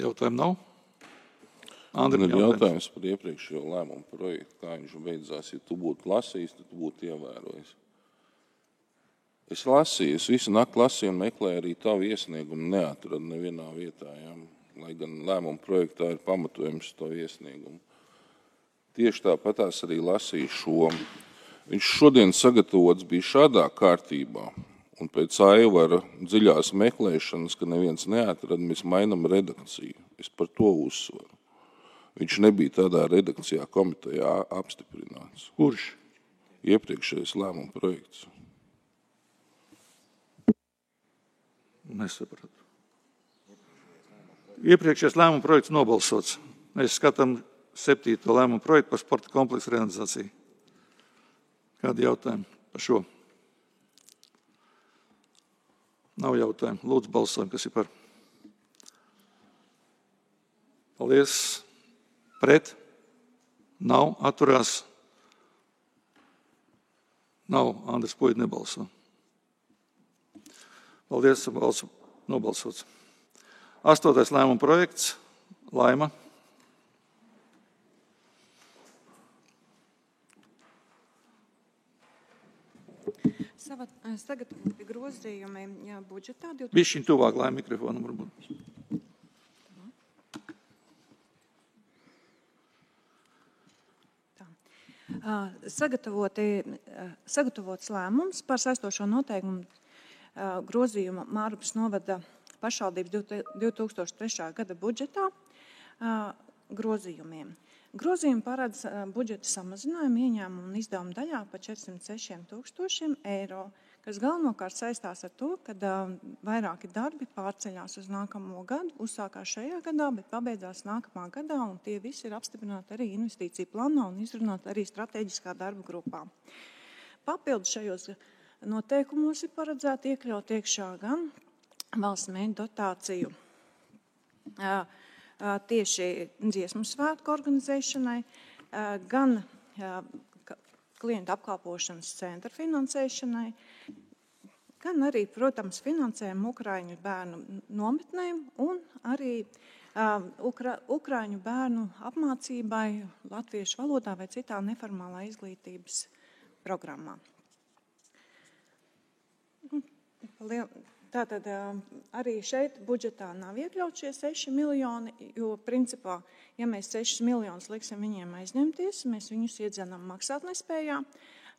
Jautājumu nav? Man ir jautājums par iepriekšējo lēmumu projektu, kā viņš beidzās. Ja tu būtu lasījis, tad tu būtu ievērojis. Es lasīju, es visu nakti lasīju un meklēju arī tavu iesniegumu, neatradu nevienā vietā, ja? Lai gan lēmumu projektā ir pamatojums tavu iesniegumu. Tieši tāpatās arī lasīju šo. Viņš šodien sagatavots bija šādā kārtībā, un pēc Aivara dziļās meklēšanas, ka neviens neatrada, mēs mainam redakciju. Es par to uzsvaru. Viņš nebija tādā redakcijā komitejā apstiprināts. Kurš? Iepriekšējais lēmuma projekts. Nesapratu. Iepriekšējais lēmuma projekts nobalsots. Mēs skatām septīto lēmuma projektu par sporta kompleksu realizāciju. Kādi jautājumi par šo? Nav jautājumu. Lūdzu balsojam, kas ir par. Paldies. Pret? Nav. Atturās? Nav. Andris Puida nebalso. Paldies, balsu nobalsots. Astotais lēmuma projekts. Laima. Sagatavoti grozījumi budžetā. Bišķiņ tuvāk Laima mikrofonu varbūt. Sagatavoti, sagatavots lēmums par saistošo noteikumu grozījumu Mārupas novada pašvaldības divi tūkstoši trešā gada budžetā grozījumiem. Grozījumi paredz budžeta samazinājumu ieņēmumu un izdevumu daļā pa četrsimt sešiem tūkstošiem eiro, kas galvenokārt saistās ar to, ka vairāki darbi pārceļās uz nākamo gadu, uzsākās šajā gadā, bet pabeidzās nākamā gadā, un tie visi ir apstiprināti arī investīciju plānā un izrunāti arī strateģiskā darba grupā. Papildus šajos noteikumos ir paredzēti iekļaut iekšā gan valsts mēģi dotāciju tieši dziesmu svētku organizēšanai, gan klientu apkalpošanas centra finansēšanai, gan arī, protams, finansējumu Ukraiņu bērnu nometnēm un arī Ukra, Ukraiņu bērnu apmācībai latviešu valodā vai citā neformālā izglītības programmā. Tātad arī šeit budžetā nav iekļaut šie seši miljoni, jo principā, ja mēs sešus miljonus liksim viņiem aizņemties, mēs viņus iedzenam maksātnespējā,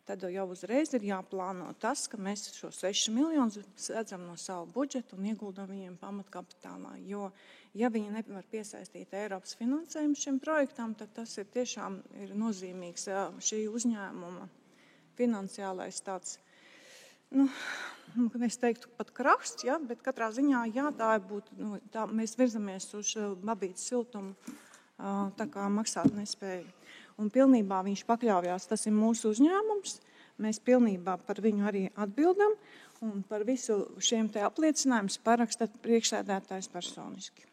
tad jau uzreiz ir jāplāno tas, ka mēs šo sešus miljonus redzam no savu budžetu un ieguldam viņiem pamatkapitālā. Jo, ja viņi nevar piesaistīt Eiropas finansējumu šim projektam, tad tas ir tiešām ir nozīmīgs šī uzņēmuma finansiālais tāds, nu, es teiktu pat krasts, ja, bet katrā ziņā, jā, tā būtu, nu, tā, mēs virzamies uz babītes siltumu, tā kā maksāt nespēju. Un pilnībā viņš pakļaujās, tas ir mūsu uzņēmums, mēs pilnībā par viņu arī atbildam, un par visu šiem te apliecinājumus paraksta priekšsēdētājs personiski.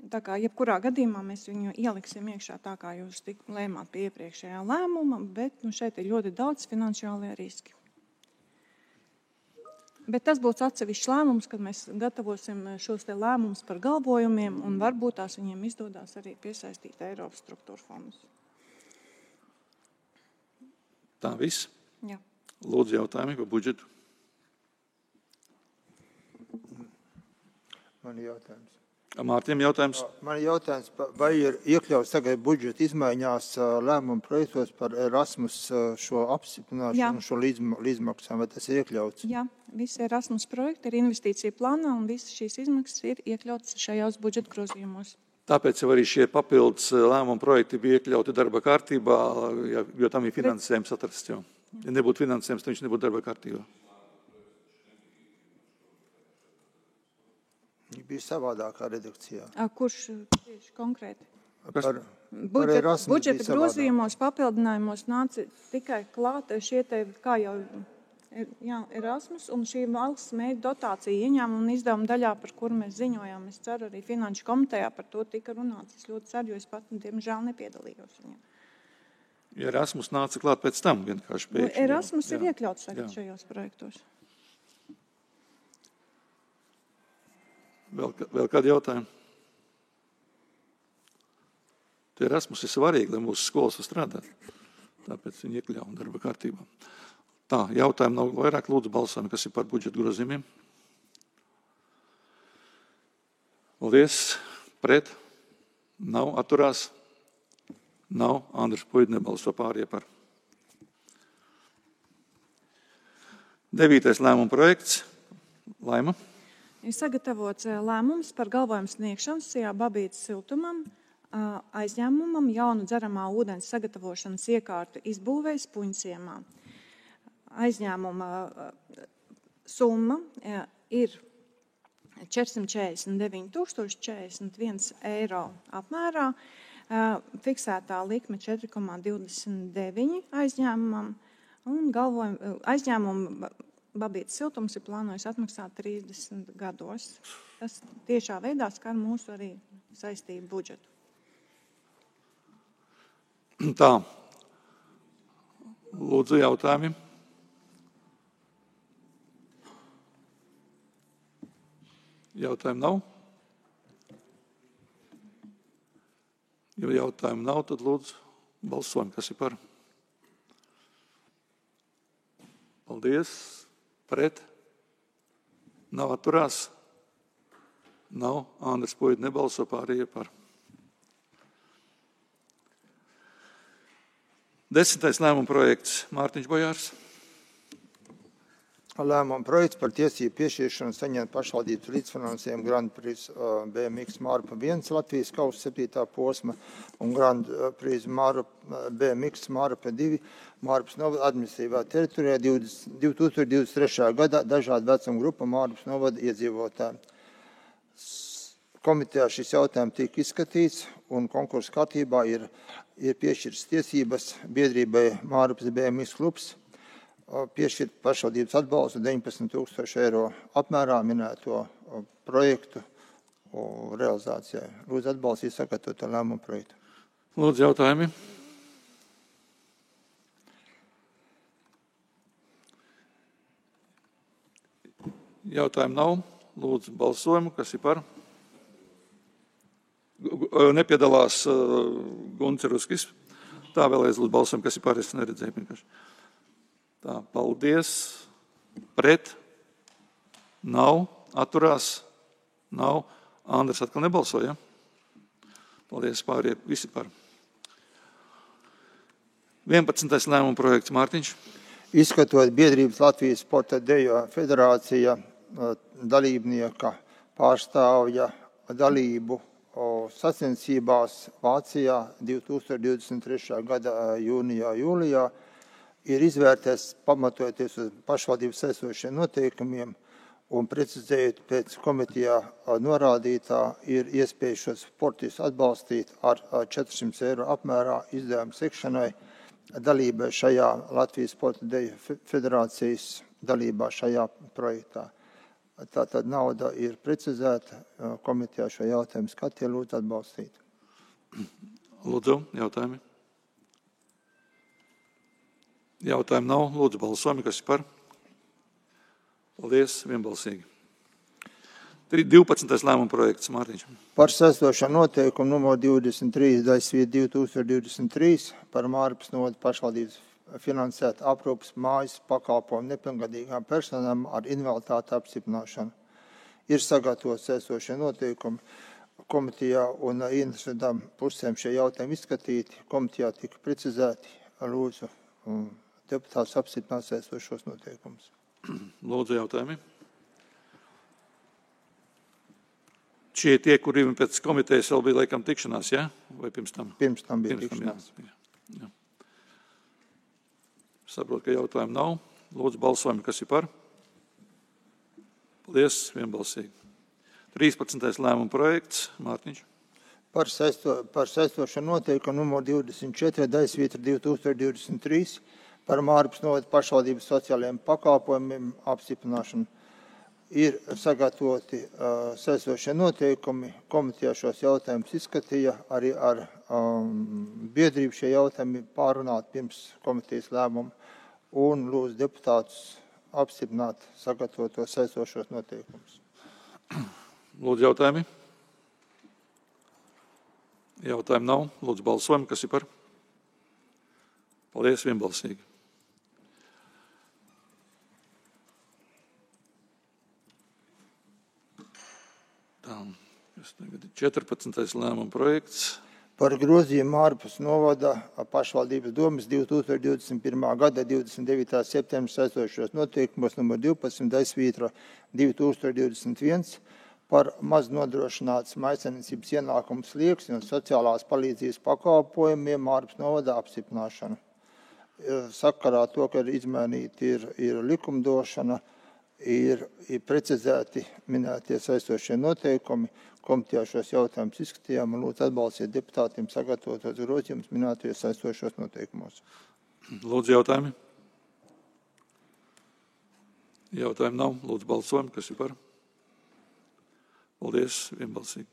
Tā kā jebkurā gadījumā mēs viņu ieliksim iekšā tā, kā jūs tik lēmāt pie iepriekšējā lēmuma, bet nu, šeit ir ļoti daudz finansiālie riski. Bet tas būs atsevišķs lēmums, kad mēs gatavosim šos te lēmumus par galvojumiem, un varbūt tās viņiem izdodās arī piesaistīt Eiropas struktūra fondus. Tā viss? Jā. Lūdzu jautājumi par budžetu. Man ir jautājums. Mārtiņam jautājums. Man ir jautājums, vai ir iekļauts tagad budžeta izmaiņās lēmumu projektos par Erasmus šo apstiprināšanu, šo līdzmaksām, vai tas ir iekļauts? Jā, visi Erasmus projekti ir investīcija plānā un visas šīs izmaksas ir iekļautas šajos budžeta grozījumos. Tāpēc jau arī šie papildus lēmumu projekti bija iekļauti darba kārtībā, jo tam ir finansējums atrasts jau. Ja nebūtu finansējums, tad viņš nebūtu darba kārtībā. Viņa bija savādākā redakcijā. Kurš tieši konkrēti? Par, budžeta, par budžeta grozījumos, papildinājumos nāca tikai klāt šie te, kā jau ir, jā, Erasmus un šī valsts mēģi dotācija ieņēmuma un izdevuma daļā, par kuru mēs ziņojām. Es ceru, arī Finanšu komitejā par to tika runāts. Es ļoti ceru, jo es pat, diemžēl, nepiedalījos viņam. Ja Erasmus nāca klāt pēc tam, vienkārši pēkšņi. Erasmus jā, ir iekļauts tagad jā. šajos projektos. Vēl, vēl kādi jautājumi? Tie Erasmus ir svarīgi, lai mūsu skolas strādāt. Tāpēc viņi iekļauj darba kārtībā. Tā, jautājumi nav vairāk, lūdzu balsojam, kas ir par budžeta grozījumiem. Paldies. Pret? Nav. Atturās? Nav. Andris Puids nebalso pārējie par. Devītais lēmuma projekts. Laima. Ir sagatavots lēmums par galvojumu sniegšanu Sijā Babītes siltumam, aizņēmumam jaunu dzeramā ūdens sagatavošanas iekārtu izbūvējas Puņciemā. Aizņēmuma summa ir četrsimt četrdesmit deviņi tūkstoši četrdesmit viens eiro apmērā, fiksētā likme četri komā divdesmit deviņi aizņēmumam un galvojumu aizņēmumu Babītes siltums ir plānojis atmaksāt trīsdesmit gados. Tas tiešā veidā skar mūsu arī saistību budžetu. Tā. Lūdzu jautājumi. Jautājumu nav? Ja jautājumu nav, tad lūdzu balsojam, kas ir par. Paldies. Pret? Nav atturās? Nav. Andris Puids nebalso, pārējie par. Desmitais lēmuma projekts Mārtiņš Bojārs. Lēmuma projekts par tiesību piešķiršanu saņemt pašvaldības līdzfinansējumu Grand Prix B M X Mārupa viens Latvijas kausa septītā posma un Grand Prix Mārupa B M X Mārupa divi Mārupas novada administratīvā teritorijā divi tūkstoši divdesmit trešā gadā dažādu vecumu grupu Mārupas novada iedzīvotāji. Komitejā šis jautājums tika izskatīts un konkursu kārtībā ir, ir piešķirtas tiesības biedrībai Mārupas B M X klubs piešķirt pašvaldības atbalstu deviņpadsmit tūkstoši eiro apmērā minēto projektu realizācijai. Lūdzu atbalstīt sagatavoto lēmumu projektu. Lūdzu jautājumi. Jautājumu nav. Lūdzu balsojumu, kas ir par. Nepiedalās Gunts Ruskis. Tā vēlreiz lūdzu balsojumu, kas ir par. Es neredzēju vienkārši. Tā, paldies. Pret? Nav. Atturās? Nav. Andris atkal nebalsoja. Paldies, pārējie visi par. vienpadsmitais lēmuma projekts Mārtiņš. Izskatot biedrības Latvijas sporta dejo federācija dalībnieka pārstāvja dalību sacensībās Vācijā divi tūkstoši divdesmit trešā gada jūnijā, jūlijā, ir izvērtēts pamatojoties uz pašvaldības esošiem noteikumiem un precizējot pēc komitejā norādītā ir iespēja šos sportistus atbalstīt ar četrsimt eiro apmērā izdevumu sekšanai dalībai šajā Latvijas sporta deju federācijas dalībā šajā projektā. Tātad nauda ir precizēta, komitejā šo jautājumu skatīja, lūdzu atbalstīt. Lūdzu, jautājumi. Jautājumu nav. Lūdzu, balsojumi, kas ir par. Paldies, vienbalsīgi. divpadsmitais lēmuma projekts Mārtiņš. Par saistošo noteikumu numur divdesmit trīs divi tūkstoši divdesmit trīs par Mārupas novada pašvaldības finansēt aprūpas mājas pakalpojumu nepilngadīgām personām ar invaliditāti apstiprināšanu. Ir sagatavots saistošie noteikumi komitejā un interesantām pusēm šie jautājumi izskatīti. Komitejā tika precizēti. Lūdzu, deputāts apstiprināt saistošos noteikumus. Lūdzu, jautājumi. Šie tie, kuriem pēc komitejas vēl bija laikam tikšanās, ja? Vai pirms tam? Pirms tam bija pirms tikšanās. Tam, jā. Jā. Saprotu, ka jautājumu nav. Lūdzu, balsojumi, kas ir par. Paldies, vienbalsīgi. trīspadsmitais lēmuma projekts Mārtiņš. Par, saisto, par saistošo noteikumu numur divdesmit četri divi tūkstoši divdesmit trīs par Mārupas novada pašvaldības sociālajiem pakalpojumiem apstiprināšanu. Ir sagatavoti uh, saistošie noteikumi, komitejā šos jautājumus izskatīja, arī ar um, biedrību šie jautājumi pārunāt pirms komitejas lēmumu un lūdzu deputātus apstiprināt sagatavotos saistošos noteikumus. Lūdzu, jautājumi. Jautājumu nav. Lūdzu, balsojumi, kas ir par. Paldies, vienbalsīgi. Tā, kas tagad ir četrpadsmitais lēmuma projekts. Par grozījumu Mārupas novada pašvaldības domas divi tūkstoši divdesmit pirmā gada divdesmit devītā septembra saistošos noteikumos numur divpadsmit divi tūkstoši divdesmit viens par maz nodrošināts mājsaimniecības ienākumu slieksni un sociālās palīdzības pakalpojumiem Mārupas novada apstiprināšanu. Sakarā to, ka ir izmainīti ir, ir likumdošana, ir, ir precizēti minētie saistošie noteikumi. Komitejā šos jautājumus izskatījām un lūdzu atbalstīt deputātiem sagatavotos grozījumus minētajos saistošos noteikumos. Lūdzu, jautājumi. Jautājumu nav. Lūdzu, balsojumi, kas ir par. Paldies, vienbalsīgi.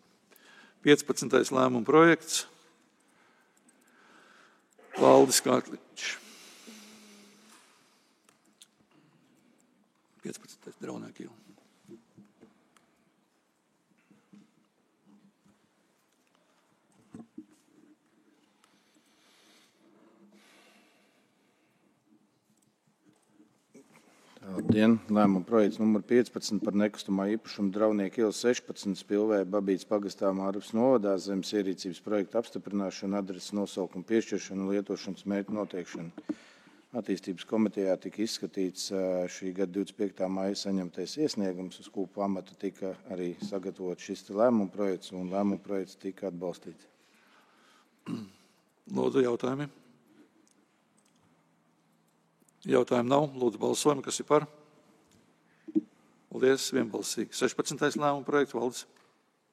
piecpadsmitais lēmuma projekts. Valdis Kārkliņš. piecpadsmitais Draunēkīla. Labdien! Lēmuma projekts numur piecpadsmit par nekustamā īpašuma Draudnieku iela sešpadsmit Spilvē Babītes pagastā Mārupas novadā zemes ierīcības projekta apstiprināšanu, adreses nosaukumu piešķiršanu un lietošanas mērķu noteikšanu. Attīstības komitejā tika izskatīts šī gada divdesmit piektā maija saņemtais iesniegums, uz kuru pamata tika arī sagatavot šis lēmuma projekts, un lēmuma projekts tika atbalstīts. Lūdzu, jautājumi. Jautājumu nav. Lūdzu, balsojam, kas ir par. Paldies, vienbalsīgi. sešpadsmitais lēmuma projekts, Valdis.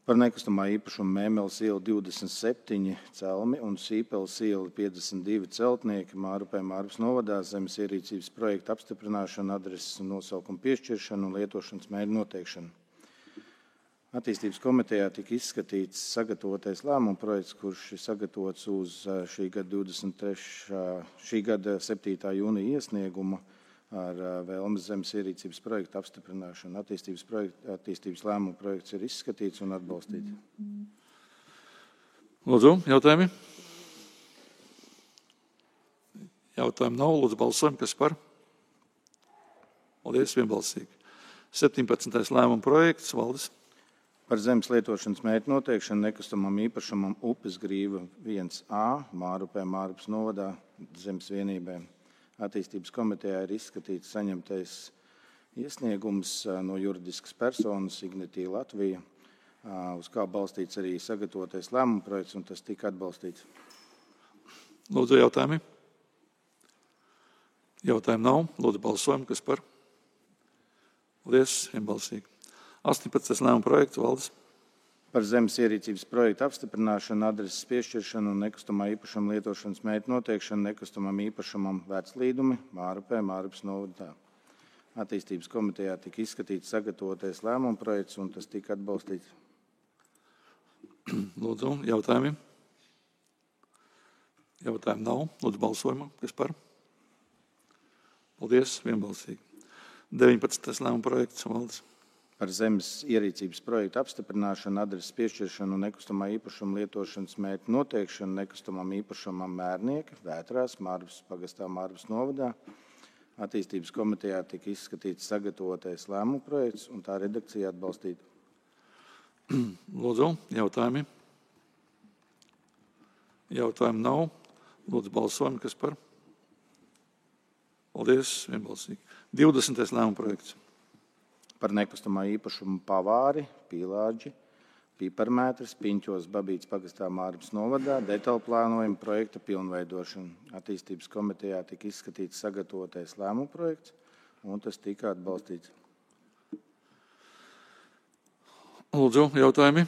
Par nekustamā īpašuma Mēmeles iela divdesmit septiņi Celmi un Sīpeles iela piecdesmit divi Celtnieki Mārupē Mārupas novadā zemes ierīcības projekta apstiprināšanu, adreses un nosaukumu piešķiršanu un lietošanas mērķu noteikšanu. Attīstības komitejā tika izskatīts sagatavotais lēmuma projekts, kurš ir sagatavots uz šī gada, divdesmit trešā šī gada septītā jūnija iesniegumu ar vēlmes zemes ierīcības projektu apstiprināšanu. Attīstības, projekta, attīstības lēmuma projekts ir izskatīts un atbalstīts. Lūdzu, jautājumi? Jautājumu nav. Lūdzu, balsojam, kas par. Paldies, vienbalsīgi. septiņpadsmitais lēmuma projekts, Valdis. Par zemes lietošanas mērķu noteikšanu nekustamam īpašumam Upes grīva viens A Mārupē Mārupas novadā zemes vienībēm. Attīstības komitejā ir izskatīts saņemtais iesniegums no juridiskas personas Ignitī Latvija, uz kā balstīts arī sagatavotais lēmuma projekts, un tas tika atbalstīts. Lūdzu, jautājumi. Jautājumu nav. Lūdzu, balsojam, kas par. Paldies, vienbalsīgi. astoņpadsmitais lēmuma projekts, Valdis. Par zemes ierīcības projektu apstiprināšanu, adreses piešķiršanu un nekustamā īpašuma lietošanas mērķu noteikšanu nekustamam īpašumam Veclīdumi Mārupē Mārupas novadā. Attīstības komitejā tika izskatīts sagatavotais lēmuma projekts, un tas tika atbalstīts. Lūdzu, jautājumi. Jautājumu nav. Lūdzu, balsojumu. Kas par? Paldies, vienbalsīgi. deviņpadsmitais lēmuma projekts, Valdis. Par zemes ierīcības projektu apstiprināšanu, adreses piešķiršanu un nekustamā īpašuma lietošanas mērķu noteikšanu nekustamam īpašumam Mērnieki, Vētrās, Mārupas pagastā Mārupas novadā. Attīstības komitejā tika izskatīts sagatavotais lēmuma projekts, un tā redakcija atbalstīta. Lūdzu, jautājumi. Jautājumu nav. Lūdzu, balsojam, kas par. Paldies, vienbalsīgi. divdesmitais lēmuma projekts. Par nekustamā īpašumu Pavāri, Pīlāģi, Piparmētris, Piņķos, Babītes pagastā Mārupas novadā, detaļu plānojumu projekta pilnveidošanu. Attīstības komitejā tika izskatīts sagatavotais lēmuma projekts, un tas tika atbalstīts. Lūdzu, jautājumi.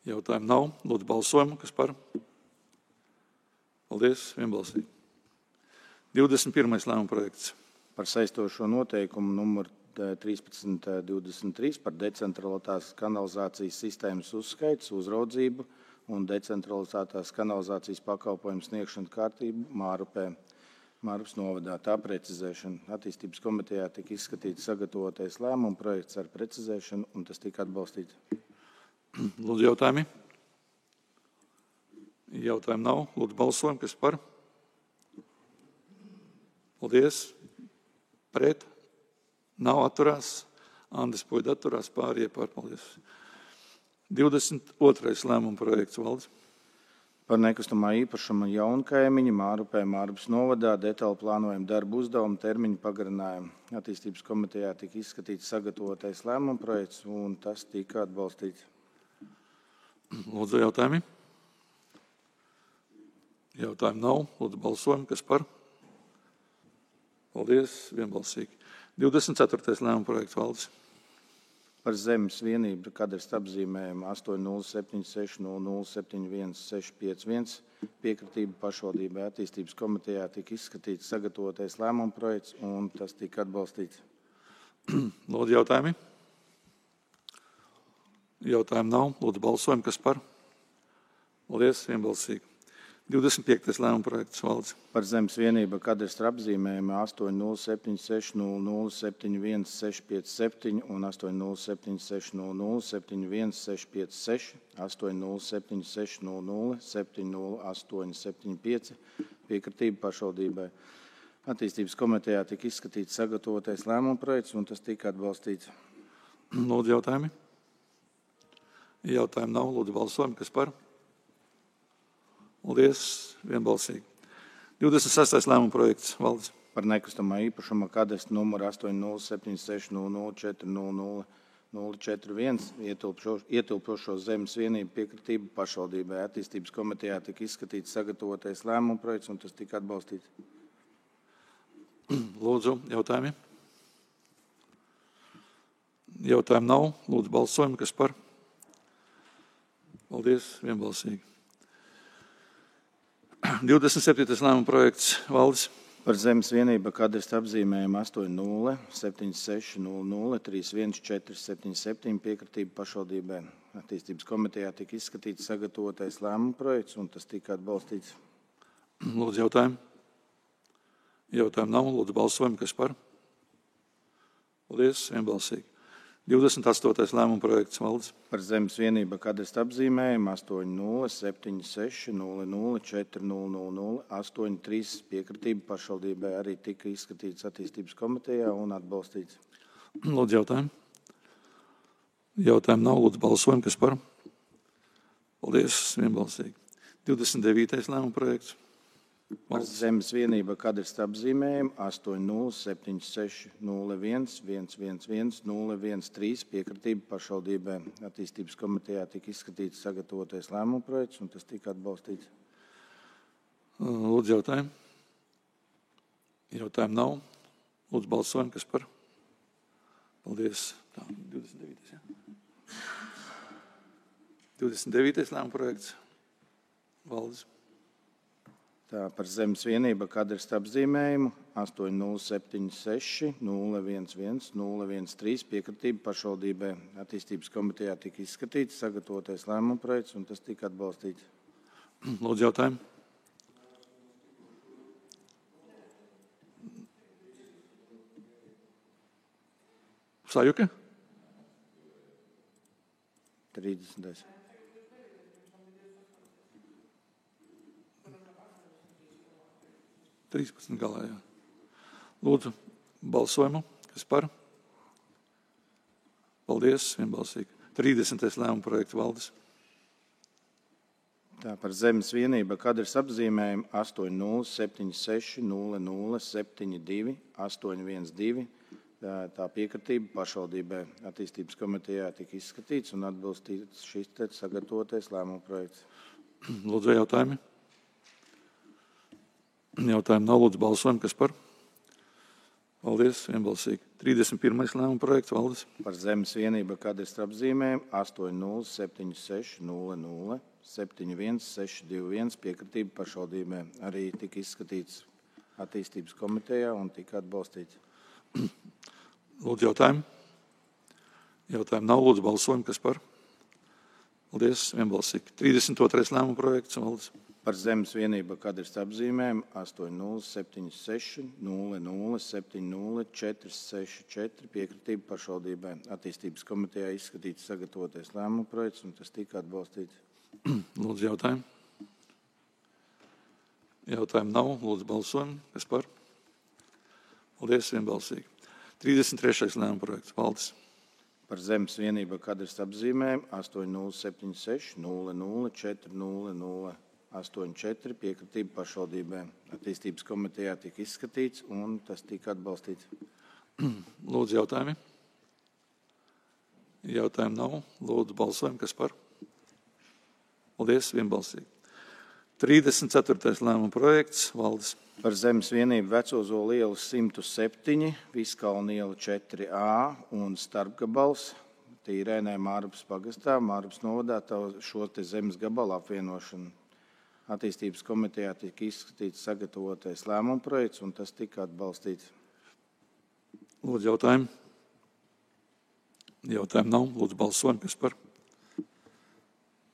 Jautājumu nav. Lūdzu, balsojumu, kas par. Paldies, vienbalsīgi. divdesmit pirmais lēmuma projekts. Par saistošo noteikumu numur trīspadsmit divdesmit trīs par decentralizētās kanalizācijas sistēmas uzskaits, uzraudzību un decentralizētās kanalizācijas pakalpojumu sniegšanu kārtību Mārupē, Mārupas novadā. Tā precizēšana. Attīstības komitejā tika izskatīts sagatavotais lēmuma projekts ar precizēšanu, un tas tika atbalstīts. Lūdzu, jautājumi. Jautājumu nav. Lūdzu, balsojam, kas par. Paldies. Pret. Nav atturās. Andris Puida atturās, pārējie pārpaldies. divdesmit otrais lēmuma projekts, Valdis. Par nekustamā īpašuma Jaunkaimiņa Mārupē Mārupas novadā detaļu plānojumu darbu uzdevumu termiņu pagarinājumu. Attīstības komitejā tika izskatīts sagatavotais lēmuma projekts, un tas tika atbalstīts. Lūdzu, jautājumi. Jautājumu nav. Lūdzu, balsojam, kas par. Paldies, vienbalsīgi. divdesmit ceturtais lēmuma projekts, Valdis. Par zemes vienību kadastru apzīmējumu astoņi nulle septiņi seši nulle nulle septiņi viens seši pieci viens piekritību pašvaldībai. Attīstības komitejā tika izskatīts sagatavotais lēmuma projekts, un tas tika atbalstīts. Lūdzu, jautājumi. Jautājumu nav. Lūdzu, balsojam, kas par. Paldies, vienbalsīgi. divdesmit piektais lēmuma projekts, Valdis. Par zemes vienību kadastru apzīmējumu astoņi nulle septiņi seši nulle nulle septiņi viens seši pieci septiņi un astoņi nulle septiņi seši nulle nulle septiņi viens seši pieci seši, astoņi nulle septiņi seši nulle nulle septiņi nulle astoņi septiņi pieci piekritību pašvaldībai. Attīstības komitejā tika izskatīts sagatavotais lēmuma projekts, un tas tika atbalstīts. Lūdzu, jautājumi? Jautājumi nav. Lūdzu, balsojam. Kas par? Paldies. Vienbalsīgi. divdesmit sestais lēmuma projekts. Valdis. Par nekustamā īpašuma kadastru numuru astoņi nulle septiņi seši nulle nulle četri nulle nulle nulle četri viens ietilpstošo zemes vienību piekritību pašvaldībai. Attīstības komitejā tika izskatīts sagatavotais lēmuma projekts, un tas tika atbalstīts. Lūdzu, jautājumi? Jautājumu nav. Lūdzu, balsojam. Kas par? Paldies. Vienbalsīgi. divdesmit septītais lēmuma projekts. Valdis. Par zemes vienību kadastru apzīmējumu astoņi nulle septiņi seši nulle nulle trīs viens četri septiņi septiņi piekritību pašvaldībai. Attīstības komitejā tika izskatīts sagatavotais lēmuma projekts, un tas tika atbalstīts. Lūdzu, jautājumu? Jautājumu nav. Lūdzu, balsojam. Kas par? Paldies. Vienbalsīgi. divdesmit astotais lēmuma projekts. Valdis. Par zemes vienību kadastru apzīmējumu astoņi nulle septiņi seši nulle nulle četri nulle nulle nulle astoņi trīs piekritību pašvaldībai arī tika izskatīts attīstības komitejā un atbalstīts. Lūdzu, jautājumu? Jautājumu nav. Lūdzu, balsojam. Kas par? Paldies. Vienbalsīgi. divdesmit devītais lēmuma projekts. Par zemes vienību kadastru apzīmējumu astoņi nulle septiņi seši nulle viens viens viens viens nulle viens trīs piekritību pašvaldībai. Attīstības komitejā tika izskatīts sagatavotais lēmuma projekts, un tas tika atbalstīts. Lūdzu, jautājumu? Jautājumu nav. Lūdzu, balsojam. Kas par? Paldies. Tā, divdesmit devītais. Ja? divdesmit devītais lēmuma projekts. Valdis. Tā, par zemes vienību kadastru apzīmējumu astoņi nulle septiņi seši nulle viens viens nulle viens trīs piekritību pašvaldībai. Attīstības komitejā tika izskatīts sagatavotais lēmuma projekts, un tas tika atbalstīts. Lūdzu, jautājumu? Sajuka? trīsdesmitais. trīspadsmit galā, jā. Lūdzu, balsojumu. Kas par? Paldies. Vienbalsīgi. trīsdesmitais lēmuma projekts. Valdis. Tā, par zemes vienību kadastru apzīmējumu astoņi nulle septiņi seši nulle nulle septiņi divi astoņi viens divi. Tā, tā piekritība pašvaldībai. Attīstības komitejā tika izskatīts un atbalstīts šis te sagatavotais lēmuma projekts. Lūdzu, jautājumi? Jautājumu nav. Lūdzu, balsojam. Kas par? Paldies. Vienbalsīgi. trīsdesmit pirmais lēmuma projekts. Valdis. Par zemes vienību kadastru apzīmējumu astoņi nulle septiņi seši nulle nulle septiņi viens seši divi viens piekritība pašvaldībai. Arī tika izskatīts attīstības komitejā un tika atbalstīts. Lūdzu, jautājumu? Jautājumu nav. Lūdzu, balsojam. Kas par? Paldies. Vienbalsīgi. trīsdesmit otrais lēmuma projekts. Valdis. Par zemes vienību kadastru apzīmējumu astoņi nulle septiņi seši nulle nulle septiņi nulle četri seši četri piekritība pašvaldībai. Attīstības komitejā izskatīts sagatavotais lēmuma projekts, un tas tika atbalstīts. Lūdzu, jautājumu? Jautājumu nav. Lūdzu, balsojam. Kas par? Paldies. Vienbalsīgi. trīsdesmit trešais lēmuma projekts. Valdis. Par zemes vienību kadastru apzīmējumu astoņi nulle septiņi seši nulle nulle četri nulle nulle astoņi četri piekritība pašvaldībai. Attīstības komitejā tika izskatīts, un tas tika atbalstīts. Lūdzu, jautājumi? Jautājumu nav. Lūdzu, balsojam. Kas par? Paldies. Vienbalsīgi. trīsdesmit ceturtais lēmuma projekts. Valdis. Par zemes vienību Vecozolu ielu simt septiņi, Viskalna iela četri A un starpgabals Tīrēnē Mārupas pagastā, Mārupas novadā šo te zemes gabalu apvienošanu. Attīstības komitejā tika izskatīts sagatavotais lēmuma projekts, un tas tika atbalstīts. Lūdzu, jautājumu? Jautājumu nav. Lūdzu, balsojam. Kas par?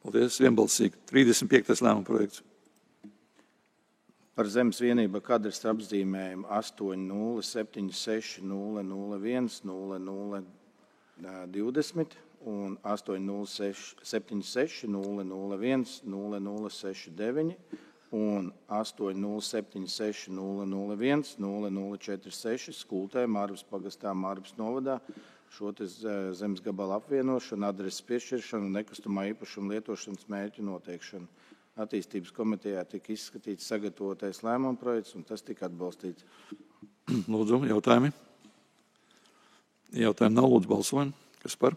Paldies. Vienbalsīgi. trīsdesmit piektais lēmuma projekts. Par zemes vienību kadastru apzīmējumu astoņi nulle septiņi seši nulle nulle viens nulle nulle divdesmit un astoņi nulle septiņi seši nulle nulle viens nulle nulle seši deviņi un astoņi nulle septiņi seši nulle nulle viens nulle nulle četri seši Skultē, Mārvas pagastā, Mārvas novadā šo te zemes gabala apvienošanu, adreses piešķiršanu un nekustamā īpašuma lietošanas mērķu noteikšanu. Attīstības komitejā tika izskatīts sagatavotais lēmuma projekts, un tas tika atbalstīts. Lūdzu, jautājumi? Jautājumi nav, lūdzu, balsojam. Kas par?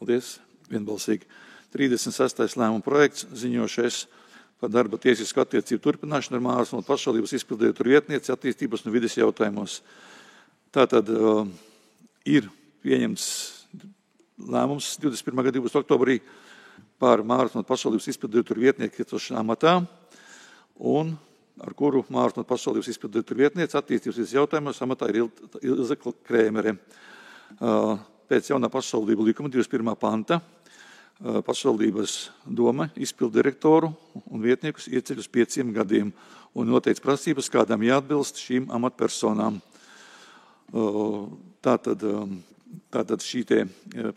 Paldies, vienbalsīgi. trīsdesmit sestais lēmuma projekts, ziņošais par darba tiesisku attiecību turpināšanu ar Mārvas Novadas pašvaldības izpilddirektora vietnieci attīstības un vides jautājumos. Tātad uh, ir pieņemts lēmums divdesmit pirmā gada divdesmitā oktobrī par Mārvas Novadas pašvaldības izpilddirektora vietnieku iecelšanu amatā, un ar kuru Mārvas Novadas pašvaldības izpilddirektora vietniece attīstības vides jautājumos amatā ir Ilze Krēmere. Uh, pēc jaunā pašvaldību likuma divdesmit pirmā panta pašvaldības doma izpilddirektoru un vietniekus ieceļ uz pieciem gadiem un noteic prasības, kādām jāatbilst šīm amatpersonām. Tātad, tātad šī te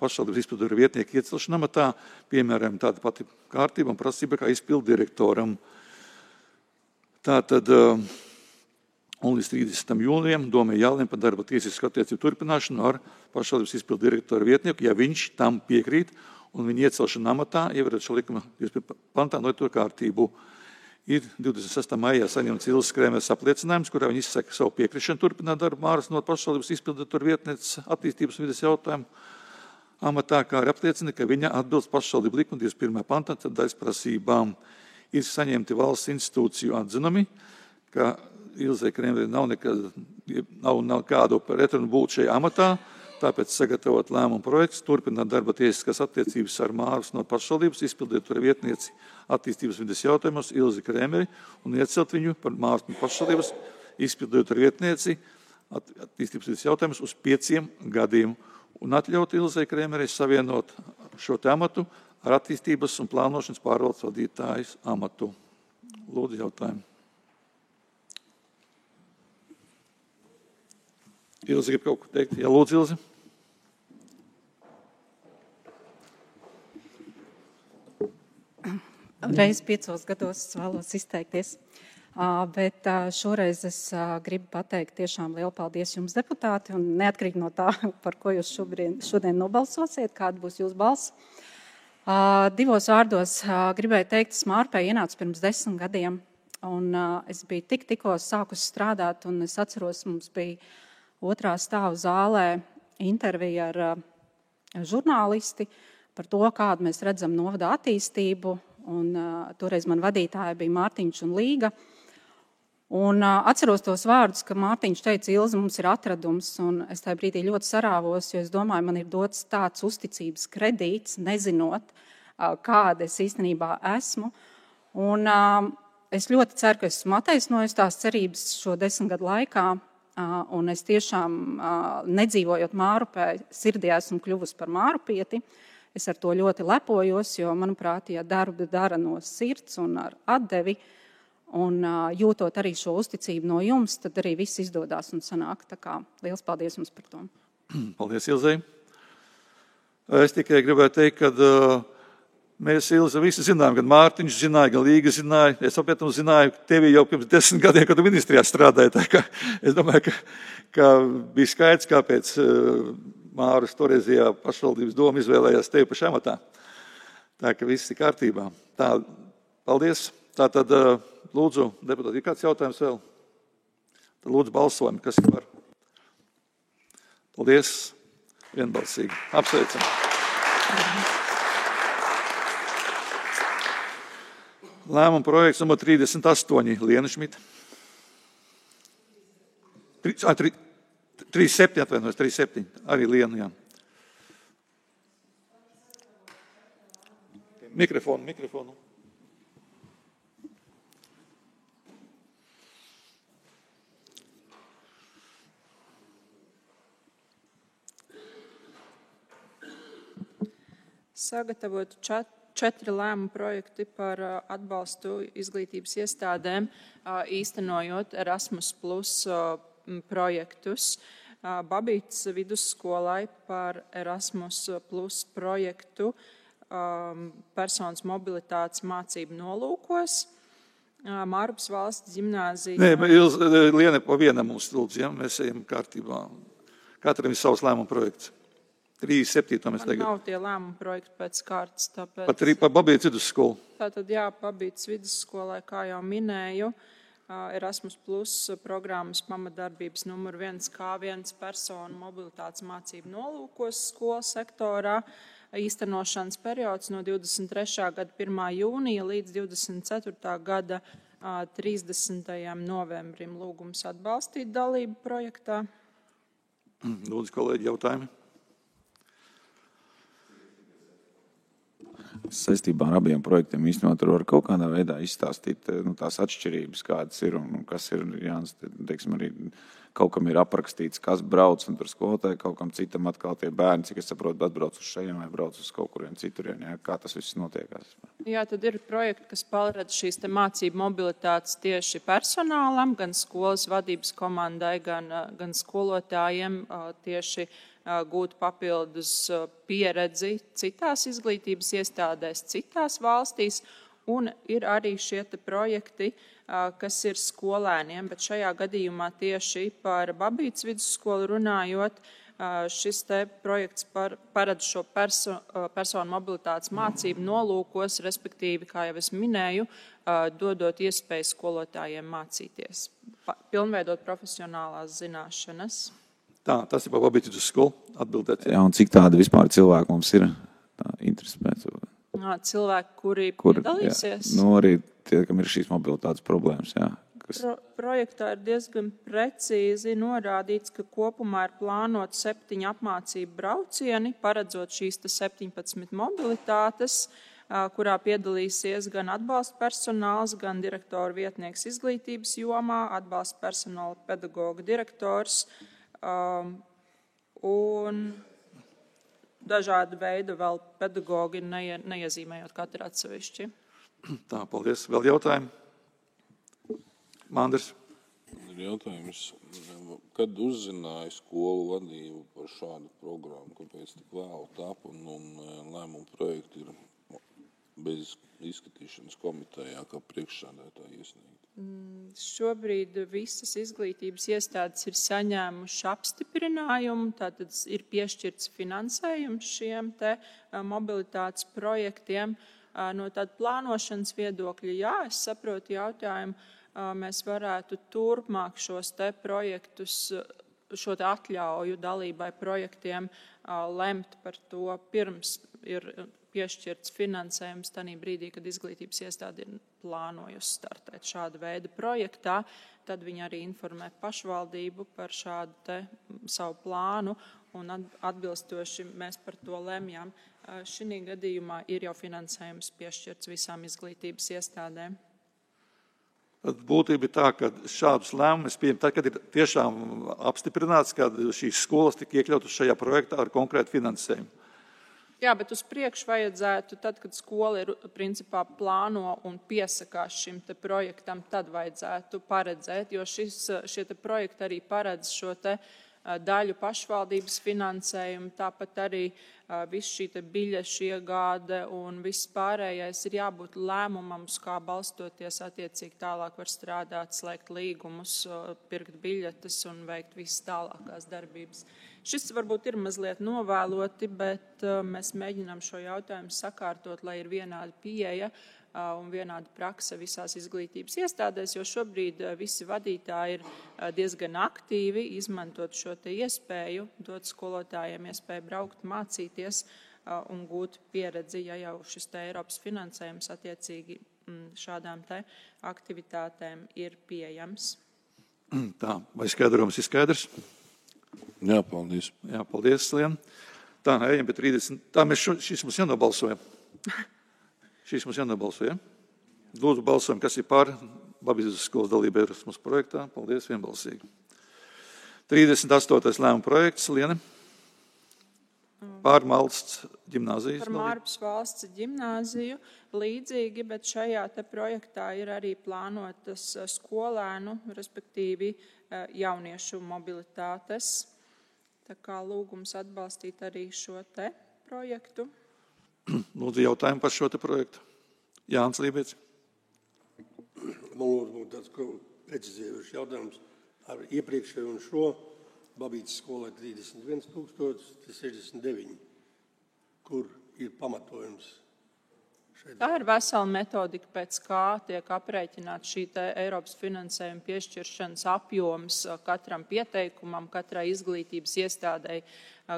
pašvaldības izpilddirektora vietnieka iecelšana amatā, piemēram, tāda pati kārtība un prasība kā izpilddirektoram. Tātad, un līdz trīsdesmitam jūlijam domē jālem par darba tiesisku attiecību turpināšanu ar pašvaldības izpilddirektora vietnieku, ja viņš tam piekrīt, un viņa iecelšana amatā, ievarot šo likuma divdesmit pirmā pantā noteikto kārtību. Ir divdesmit sestā maijā saņemts Ilzes Krēmeres apliecinājums, kurā viņa izsaka savu piekrišanu turpināt darbu Mārvas Novadas pašvaldības izpilddirektora vietnieces attīstības un vides jautājumu amatā, kā arī apliecina, ka viņa atbilst pašvaldību likuma divdesmit pirmā pantā daļas prasībām. Ir saņemti valsts institūciju atzinumi, ka Ilzei Krēmerei nav, nekad, nav, nav kādu pretrunu būt šajā amatā, tāpēc sagatavot lēmumu projekts, turpināt darba tiesiskās attiecības ar Mārvas Novadas pašvaldības izpilddirektora vietnieci attīstības vides jautājumos Ilzi Krēmeri un iecelt viņu par Mārvas Novadas pašvaldības izpilddirektora vietnieci attīstības vides jautājumus uz pieciem gadiem un atļaut Ilzei Krēmerei savienot šo te amatu ar attīstības un plānošanas pārvaldes vadītājas amatu. Lūdzu, jautājumu. Ilze grib kaut ko teikt? Jā, lūdzu, Ilze. Reiz piecos gados es vēlos izteikties, bet šoreiz es gribu pateikt tiešām lielu paldies jums, deputāti, un neatkarīgi no tā, par ko jūs šobrīd, šodien nobalsosiet, kāda būs jūsu balss. Divos vārdos gribēju teikt, es Mārpē ienācu pirms desmit gadiem, un es biju tik tikko sākus strādāt, un es atceros, mums bija otrā stāva zālē intervija ar žurnālisti par to, kādu mēs redzam novadā attīstību. Un, uh, toreiz man vadītāja bija Mārtiņš un Līga. Un uh, atceros tos vārdus, ka Mārtiņš teica, Ilze, mums ir atradums. Un es tajā brīdī ļoti sarāvos, jo es domāju, man ir dots tāds uzticības kredīts, nezinot, uh, kāda es īstenībā esmu. Un uh, es ļoti ceru, ka esmu attaisnojis tās cerības šo desmit gadu laikā. Un es tiešām, nedzīvojot Mārupē, sirdī esmu kļuvusi par mārupieti. Es ar to ļoti lepojos, jo, manuprāt, ja darbu dara no sirds un ar atdevi, un jūtot arī šo uzticību no jums, tad arī viss izdodās un sanāk. Tā kā liels paldies jums par to. Paldies, Ilzei. Es tikai gribēju teikt, ka uh, mēs, Ilze, visi zinām, gan Mārtiņš zināja, gan Līga zināja. Es apiet un zināju tevi jau pirms desmit gadiem, kad tu ministrijā strādāji. Tā kā es domāju, ka, ka bija skaidrs, kāpēc Māras toreizajā pašvaldības doma izvēlējās tevi par šamatā. Tā ka viss ir kārtībā. Tā, paldies. Tā tad, lūdzu, deputāti, ir kāds jautājums vēl? Tad lūdzu balsojam, kas ir par. Paldies. Vienbalsīgi. Apsveicam. Lēmuma projekts numur trīsdesmit astoņi, Liena Šmita. trīsdesmit septiņi, atvainojos, trīsdesmit septiņi, arī Liena, jā. Mikrofonu, mikrofonu. Sagatavotu čat. Četri lēmumu projekti par atbalstu izglītības iestādēm, īstenojot Erasmus plus projektus. Babītas vidusskolai par Erasmus plus projektu personas mobilitātes mācību nolūkos. Mārupas valsts ģimnāzija. Nē, Ilz, Liene, pa vienam mums lūdzu, ja? Mēs ejam kārtībā. Katram ir savs lēmuma projekts. trīsdesmit septīto mēs Man tagad. nav tie lēmuma projekti pēc kārtas, tāpēc. Pat arī pa Babītas vidusskolu. Tātad, jā, Babītas vidusskolai, kā jau minēju, Erasmus Plus programmas pamatdarbības numur viens K viens personu mobilitātes mācību nolūkos skolas sektorā. Īstenošanas periods no divdesmit trešā gada pirmā jūnija līdz divdesmit ceturtā gada trīsdesmitajam novembrim. Lūgums atbalstīt dalību projektā. Lūdzu, kolēģi, jautājumi. Saistībā ar abiem projektiem īstenībā tur var kaut kādā veidā izstāstīt nu, tās atšķirības, kādas ir un, un kas ir, Jānis, teiksim, arī kaut kam ir aprakstīts, kas brauc, un tur skolotāji kaut kam citam atkal tie bērni, cik es saprotu, atbrauc uz šajiem vai brauc uz kaut kuriem cituriem, jā, kā tas viss notiekās. Jā, tad ir projekti, kas paredz šīs te mācību mobilitātes tieši personālam, gan skolas vadības komandai, gan, gan skolotājiem tieši gūt papildus pieredzi citās izglītības iestādēs, citās valstīs, un ir arī šie te projekti, kas ir skolēniem, bet šajā gadījumā tieši par Babītas vidusskolu runājot, šis te projekts par, paredz šo perso, personu mobilitātes mācību nolūkos, respektīvi, kā jau es minēju, dodot iespēju skolotājiem mācīties, pilnveidot profesionālās zināšanas. Tā, tas ir par Babītas vidusskolu atbildēt. Jā, un cik tāda vispār cilvēki mums ir tā, interesi pēc? Cilvēki, kuri Kur, piedalīsies. Jā, nu, arī tie, kam ir šīs mobilitātes problēmas, jā. Kas... Pro, projektā ir diezgan precīzi norādīts, ka kopumā ir plānot septiņi apmācību braucieni, paredzot šīs septiņpadsmit mobilitātes, kurā piedalīsies gan atbalsta personāls, gan direktora vietnieks izglītības jomā, atbalsta personāla pedagoga direktors, Um, un dažādu veidu vēl pedagogi neie, neiezīmējot katru atsevišķi. Tā, paldies. Vēl jautājumi? Manders. Ir jautājums, kad uzzināja skolu vadību par šādu programmu, kāpēc tik vēl tap un, un lēmumu projekti ir bez izskatīšanas komitejā, kā priekšsēdētāji iesniegt? Šobrīd visas izglītības iestādes ir saņēmuši apstiprinājumu, tātad ir piešķirts finansējums šiem te mobilitātes projektiem. No tāda plānošanas viedokļa, jā, es saprotu jautājumu, mēs varētu turpmāk šos te projektus, šo te atļauju dalībai projektiem lemt par to pirms ir piešķirts finansējums tanī brīdī, kad izglītības iestāde ir plānojusi startēt šādu veidu projektā, tad viņi arī informē pašvaldību par šādu te savu plānu un atbilstoši mēs par to lemjam. Šī gadījumā ir jau finansējums piešķirts visām izglītības iestādēm. Būtība ir tā, ka šādus lēmumus pieņem tad, kad ir tiešām apstiprināts, ka šīs skolas tika iekļautas šajā projektā ar konkrētu finansējumu. Jā, bet uz priekšu vajadzētu, tad, kad skola ir principā plāno un piesakās šim te projektam, tad vajadzētu paredzēt, jo šis, šie te projekti arī paredz šo te daļu pašvaldības finansējumu, tāpat arī viss šī te biļešu iegāde un viss pārējais ir jābūt lēmumam, uz kā balstoties attiecīgi tālāk var strādāt, slēgt līgumus, pirkt biļetes un veikt visas tālākās darbības. Šis varbūt ir mazliet novēloti, bet mēs mēģinām šo jautājumu sakārtot, lai ir vienāda pieeja un vienāda prakse visās izglītības iestādēs, jo šobrīd visi vadītāji ir diezgan aktīvi izmantot šo te iespēju, dot skolotājiem iespēju braukt, mācīties un gūt pieredzi, ja jau šis te Eiropas finansējums attiecīgi šādām te aktivitātēm ir pieejams. Tā, vai skaidrums ir skaidrs? Jā, paldies. Jā, paldies, Lien. Tā, ejam pie trīsdesmit. Tā, mēs šo, šis mums jānobalsojam. Šis mums jānobalsojam. Lūdzu, balsojam, kas ir par Babītas skolas dalību Erasmus projektā. Paldies, vienbalsīgi. trīsdesmit astotais lēmuma projekts, Liene. Par valsts ģimnāzijas. Par Mārupas valsts ģimnāziju līdzīgi, bet šajā te projektā ir arī plānotas skolēnu, respektīvi jauniešu mobilitātes. Tā kā lūgums atbalstīt arī šo te projektu. Lūdzu, jautājumu par šo te projektu. Jānis Lībietis. man būtu tāds precizējuši jautājums ar iepriekšēju un šo. Babītas skolai trīsdesmit viens tūkstoši sešdesmit deviņi. Kur ir pamatojums? Tā ir vesela metodika, pēc kā tiek aprēķināts šī te Eiropas finansējuma piešķiršanas apjoms katram pieteikumam, katrai izglītības iestādei,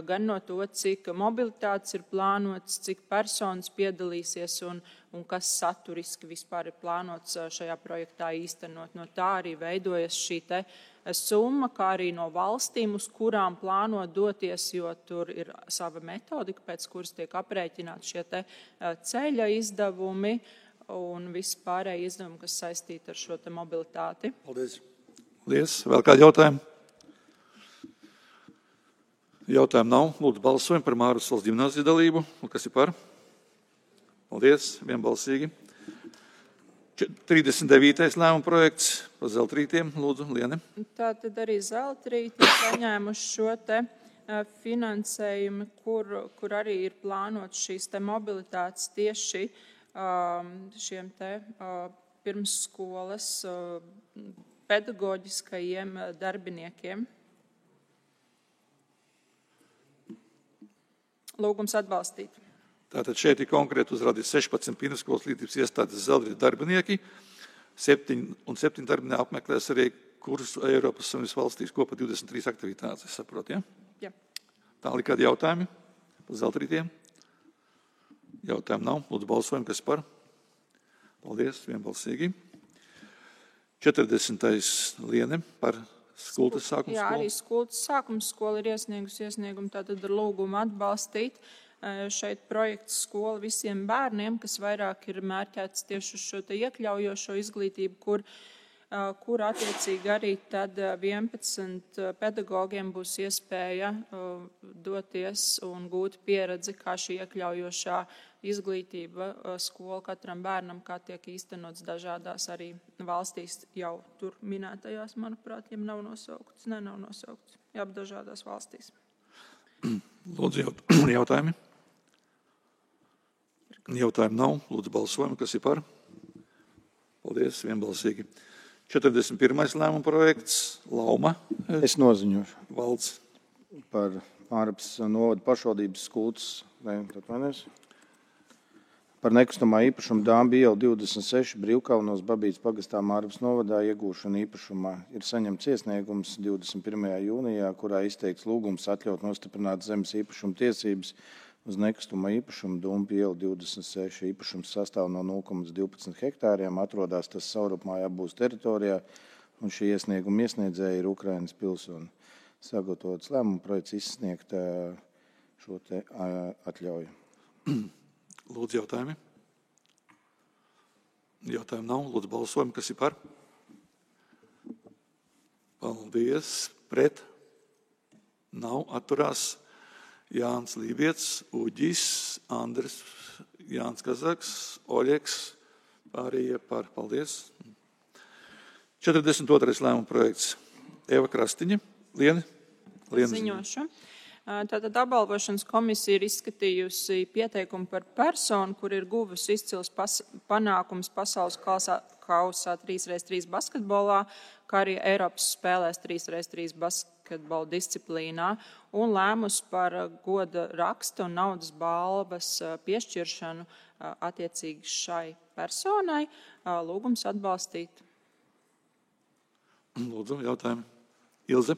gan no to, cik mobilitātes ir plānots, cik personas piedalīsies un, un kas saturiski vispār ir plānots šajā projektā īstenot. No tā arī veidojas šī te summa, kā arī no valstīm, uz kurām plāno doties, jo tur ir sava metodika, pēc kuras tiek aprēķināti šie te ceļa izdevumi un visi pārējie izdevumi, kas saistīti ar šo te mobilitāti. Paldies. Paldies. Vēl kādi jautājumi? Jautājumu nav. Lūdzu, balsojam par Mārus valsts ģimnāzijas dalību. Un kas ir par? Paldies. Vienbalsīgi. trīsdesmit devītais lēmuma projekts par zeltrītiem. Lūdzu, Liene. Tā tad arī zeltrīti saņēmuši šo te finansējumu, kur, kur arī ir plānots šīs te mobilitātes tieši šiem te pirmsskolas pedagoģiskajiem darbiniekiem. Lūgums atbalstīt. Tātad šeit ir konkrēti uzrādīts sešpadsmit pirmsskolas izglītības iestādes zeltrītes darbinieki, septiņi un septiņi darbinieki apmeklēs arī kursu Eiropas Savienības valstīs kopā divdesmit trīs aktivitātes, es saprotu, ja? Jā. Tālāk kādi jautājumi par zeltrītiem? Jautājumu nav. Lūdzu, balsojam, kas par? Paldies, vienbalsīgi. četrdesmitais Liene par skultas sākums skolu. Jā, arī skultas sākums skola ir iesniegusi iesniegumu, tātad ar lūgumu atbalstīt. Šeit projekts skola visiem bērniem, kas vairāk ir mērķēts tieši uz šo te iekļaujošo izglītību, kur, kur attiecīgi arī tad vienpadsmit pedagogiem būs iespēja doties un gūt pieredzi, kā šī iekļaujošā izglītība skola katram bērnam, kā tiek īstenots dažādās arī valstīs jau tur minētajās, manuprāt, ja nav nosaukts, ne, nav nosaukts, jā, dažādās valstīs. Lūdzu, jautājumi? Jautājumu nav. Lūdzu, balsojam, kas ir par? Paldies, vienbalsīgi. četrdesmit pirmais lēmuma projekts, Lauma. Es noziņošu. Valds. Par Mārapas novada pašvaldības skultas, ne, atvainojas. Par nekustamā īpašuma Dāmbi iela divdesmit seši Brīvkalnos Babītas pagastā Mārapas novadā iegūšana īpašumā ir saņemts iesniegums divdesmit pirmajā jūnijā, kurā izteikts lūgums atļaut nostiprināt zemes īpašuma tiesības uz nekustamā īpašuma Dāmbi iela divdesmit seši. Īpašums sastāv no nulle komats divpadsmit hektāriem, atrodas tas Saurupmāja apbūves teritorijā, un šī iesnieguma iesniedzēja ir Ukrainas pilsoni. Sagatavots lēmuma projekts izsniegt šo te atļauju. Lūdzu, jautājumi? Jautājumu nav. Lūdzu, balsojam, kas ir par? Paldies. Pret? Nav. Atturās Jānis Lībiets, Uģis, Andris, Jānis Kazaks, Oļeks, pārējie par. Paldies. četrdesmit otrais lēmuma projekts. Eva Krastiņa. Liene? Liene ziņošu. Tātad apbalvošanas komisija ir izskatījusi pieteikumu par personu, kur ir guvusi izcils pas, panākums pasaules kausā trīs pret trīs basketbolā, kā arī Eiropas spēlēs trīs pret trīs basketbola disciplīnā, un lēmus par goda raksta un naudas balvas piešķiršanu attiecīgi šai personai. Lūgums atbalstīt. Lūdzu, jautājumi. Ilze?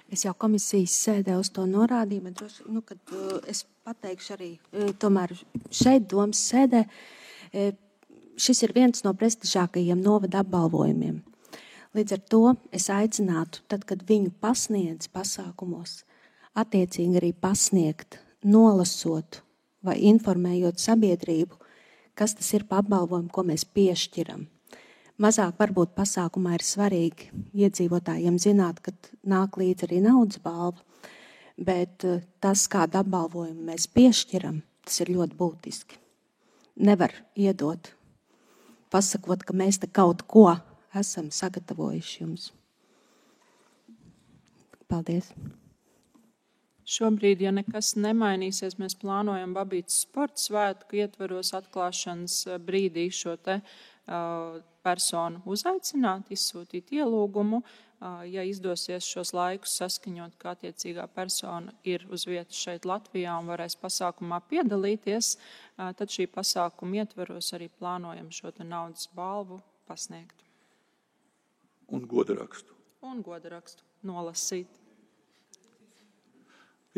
Es jau komisijas sēdē uz to norādīju, bet droši, nu, kad uh, es pateikšu arī uh, tomēr šeit domas sēdē, uh, šis ir viens no prestižākajiem novada apbalvojumiem. Līdz ar to es aicinātu, tad, kad viņu pasniedz pasākumos, attiecīgi arī pasniegt, nolasot vai informējot sabiedrību, kas tas ir pa apbalvojumu, ko mēs piešķiram. Mazāk varbūt pasākumā ir svarīgi iedzīvotājiem zināt, ka nāk līdz arī naudas balva, bet tas, kādu apbalvojumu mēs piešķiram, tas ir ļoti būtiski. Nevar iedot, pasakot, ka mēs te kaut ko esam sagatavojuši jums. Paldies. Šobrīd, ja nekas nemainīsies, mēs plānojam Babītas sporta svētku ietvaros atklāšanas brīdī šo te personu uzaicināt, izsūtīt ielūgumu. Ja izdosies šos laikus saskaņot, ka attiecīgā persona ir uz vietas šeit Latvijā un varēs pasākumā piedalīties, tad šī pasākuma ietveros arī plānojam šo te naudas balvu pasniegt. Un godarakstu. Un godarakstu nolasīt.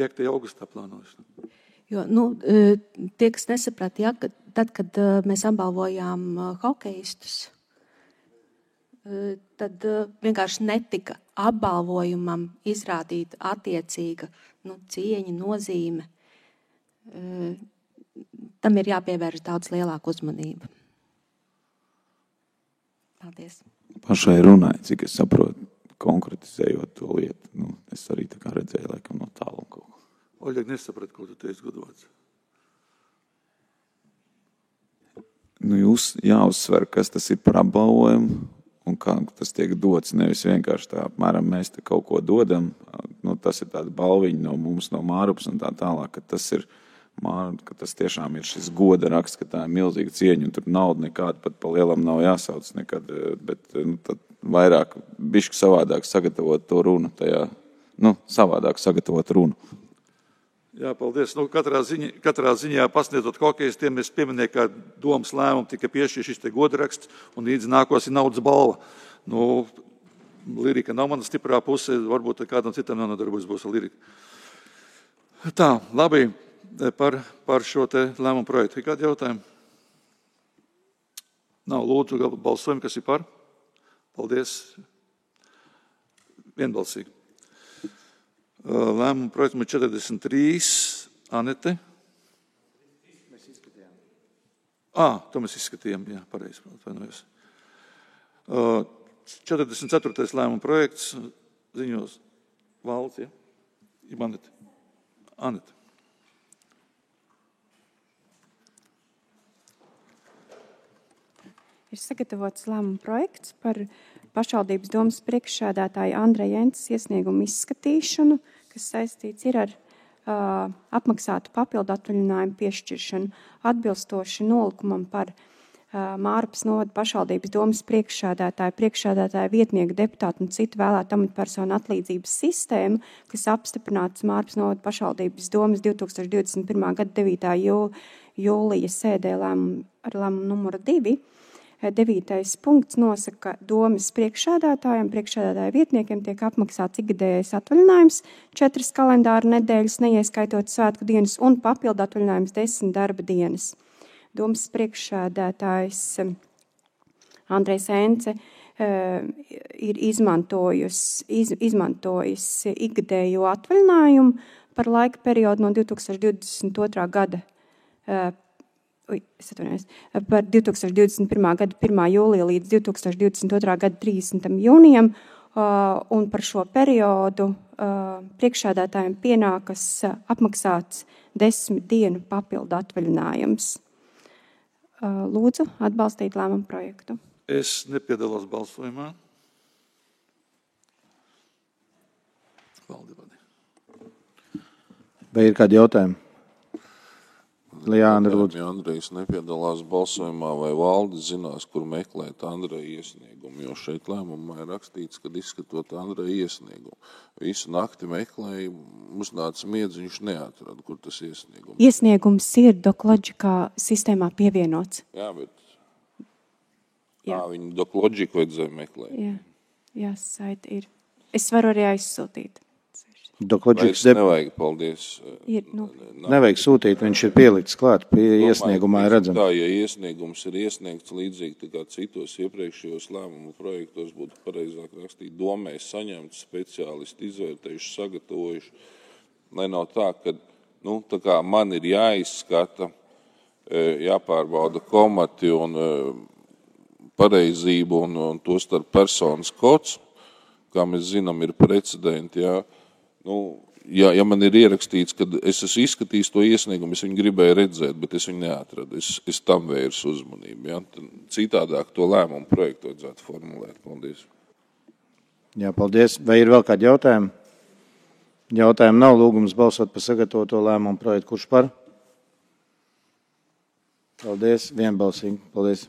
piektajā augustā plānojas. Jo, nu, tie, kas nesaprata, ja, ka tad, kad mēs apbalvojām hokeistus, tad vienkārši netika apbalvojumam izrādīta attiecīga nu, cieņa, nozīme. Tam ir jāpievērš daudz lielāka uzmanība. Paldies. Pašai runāja, cik es saprotu, konkretizējot to lietu. Nu, es arī tā kā redzēju, laikam, no tālu kaut ko. Oļeg, nesapratu, ko tu teici, Godvots. Nu, jūs jāuzsver, kas tas ir par apbalvojumu un kā tas tiek dots. Nevis vienkārši tā, apmēram, mēs te kaut ko dodam. Nu, tas ir tāda balviņa no mums, no Mārupas un tā tālāk, ka tas ir, ka tas tiešām ir šis goda raksts, ka tā ir milzīga cieņa un tur nauda nekāda pat pa lielam nav jāsauc nekad, bet nu, tad vairāk bišķi savādāk sagatavot to runu tajā, nu, savādāk sagatavot runu. Jā, paldies. Nu, katrā, ziņa, katrā ziņā pasniedzot hokeistiem, es pieminēju, ka domas lēmumu tika piešķirts šis te godaraksts un līdz nākos ir naudas balva. Nu, lirika nav mana stiprā puse, varbūt kādam citam nenodarbojas būs ar liriku. Tā, labi, par, par šo te lēmumu projektu. Ir kādi jautājumi? Nav, lūdzu, balsojumi, kas ir par? Paldies. Vienbalsīgi. Lēmumu projektu numur četrdesmit trīs. Anete. Mēs izskatījām. Ā, to mēs izskatījām, jā, pareizi, atvainojos. četrdesmit ceturtais lēmumu projekts ziņos valsts, ja? Ir Anete. Anete. Ir sagatavots lēmuma projekts par pašvaldības domas priekšsēdētāja Andreja Jences iesniegumu izskatīšanu, kas saistīts ir ar uh, apmaksātu papildu atvaļinājumu piešķiršanu atbilstoši nolikumam par uh, Mārupas novada pašvaldības domas priekšsēdētāja, priekšsēdētāja vietnieku deputātu un citu vēlētu amatpersonu atlīdzības sistēmu, kas apstiprināts Mārupas novada pašvaldības domas divtūkstoš divdesmit pirmā gada devītā jūlija sēdē lēmumu ar lēmumu numuru divi. Devītais punkts nosaka, ka domas priekšsēdētājiem, priekšsēdētāja vietniekiem tiek apmaksāts ikgadējais atvaļinājums, četras kalendāra nedēļas, neieskaitot svētku dienas un papildu atvaļinājums desmit darba dienas. Domas priekšsēdētājs Andrejs Ence ir izmantojis, iz, izmantojis ikgadējo atvaļinājumu par laika periodu no divtūkstoš divdesmit otrā gada Es atvainojos, par divtūkstoš divdesmit pirmā gada pirmā jūlija līdz divtūkstoš divdesmit otrā gada trīsdesmitam jūnijam, un par šo periodu priekšsēdētājiem pienākas apmaksāts desmit dienu papildu atvaļinājums. Lūdzu, atbalstīt lēmumu projektu. Es nepiedalos balsojumā. Vai ir kādi jautājumi? Lijāna, lūdzu. Ja Andrejs nepiedalās balsojumā, vai valde zinās, kur meklēt Andreja iesniegumu, jo šeit lēmumā ir rakstīts, kad izskatot Andreja iesniegumu. Visu nakti meklēja, uznāca miedz, viņš neatrada, kur tas iesniegums. Iesniegums ir Dokloģikā sistēmā pievienots. Jā, bet Jā. tā viņu Dokloģiku vajadzēja meklēt. Jā, jā, saiti ir. Es varu arī aizsūtīt. Vairs nevajag, paldies. Ir, nu. Nevajag sūtīt, viņš ir pielikts klāt, pie iesniegumā ir redzams. Tā, ja iesniegums ir iesniegts līdzīgi tā kā citos iepriekšējos lēmumu projektos, būtu pareizāk rakstīt domēs saņemts, speciālisti izvērtējuši, sagatavojuši. Lai nav tā, ka nu, tā kā man ir jāizskata, jāpārbauda komati un pareizību un, un to starp personas kods, kā mēs zinām, ir precedenti, jā. Nu, ja, ja man ir ierakstīts, ka es esmu izskatījis to iesniegumu, es viņu gribēju redzēt, bet es viņu neatradu. Es, es tam vērsu uzmanību. Ja? Citādāk to lēmumu projektu vajadzētu formulēt. Paldies. Jā, paldies. Vai ir vēl kādi jautājumi? Jautājumi nav, lūgums balsot par sagatavoto lēmumu projektu. Kurš par? Paldies. Vienbalsīgi. Paldies.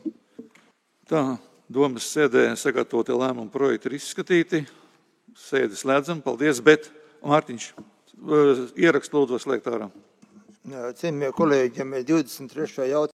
Tā, domas sēdē sagatavotie lēmumu projekti ir izskatīti. Sēdi slēdzam, paldies, bet Mārtiņš, ierakst lūdzu slēgt ārā. Cienījamie kolēģi, ja mēs divdesmit trešajā jautājumā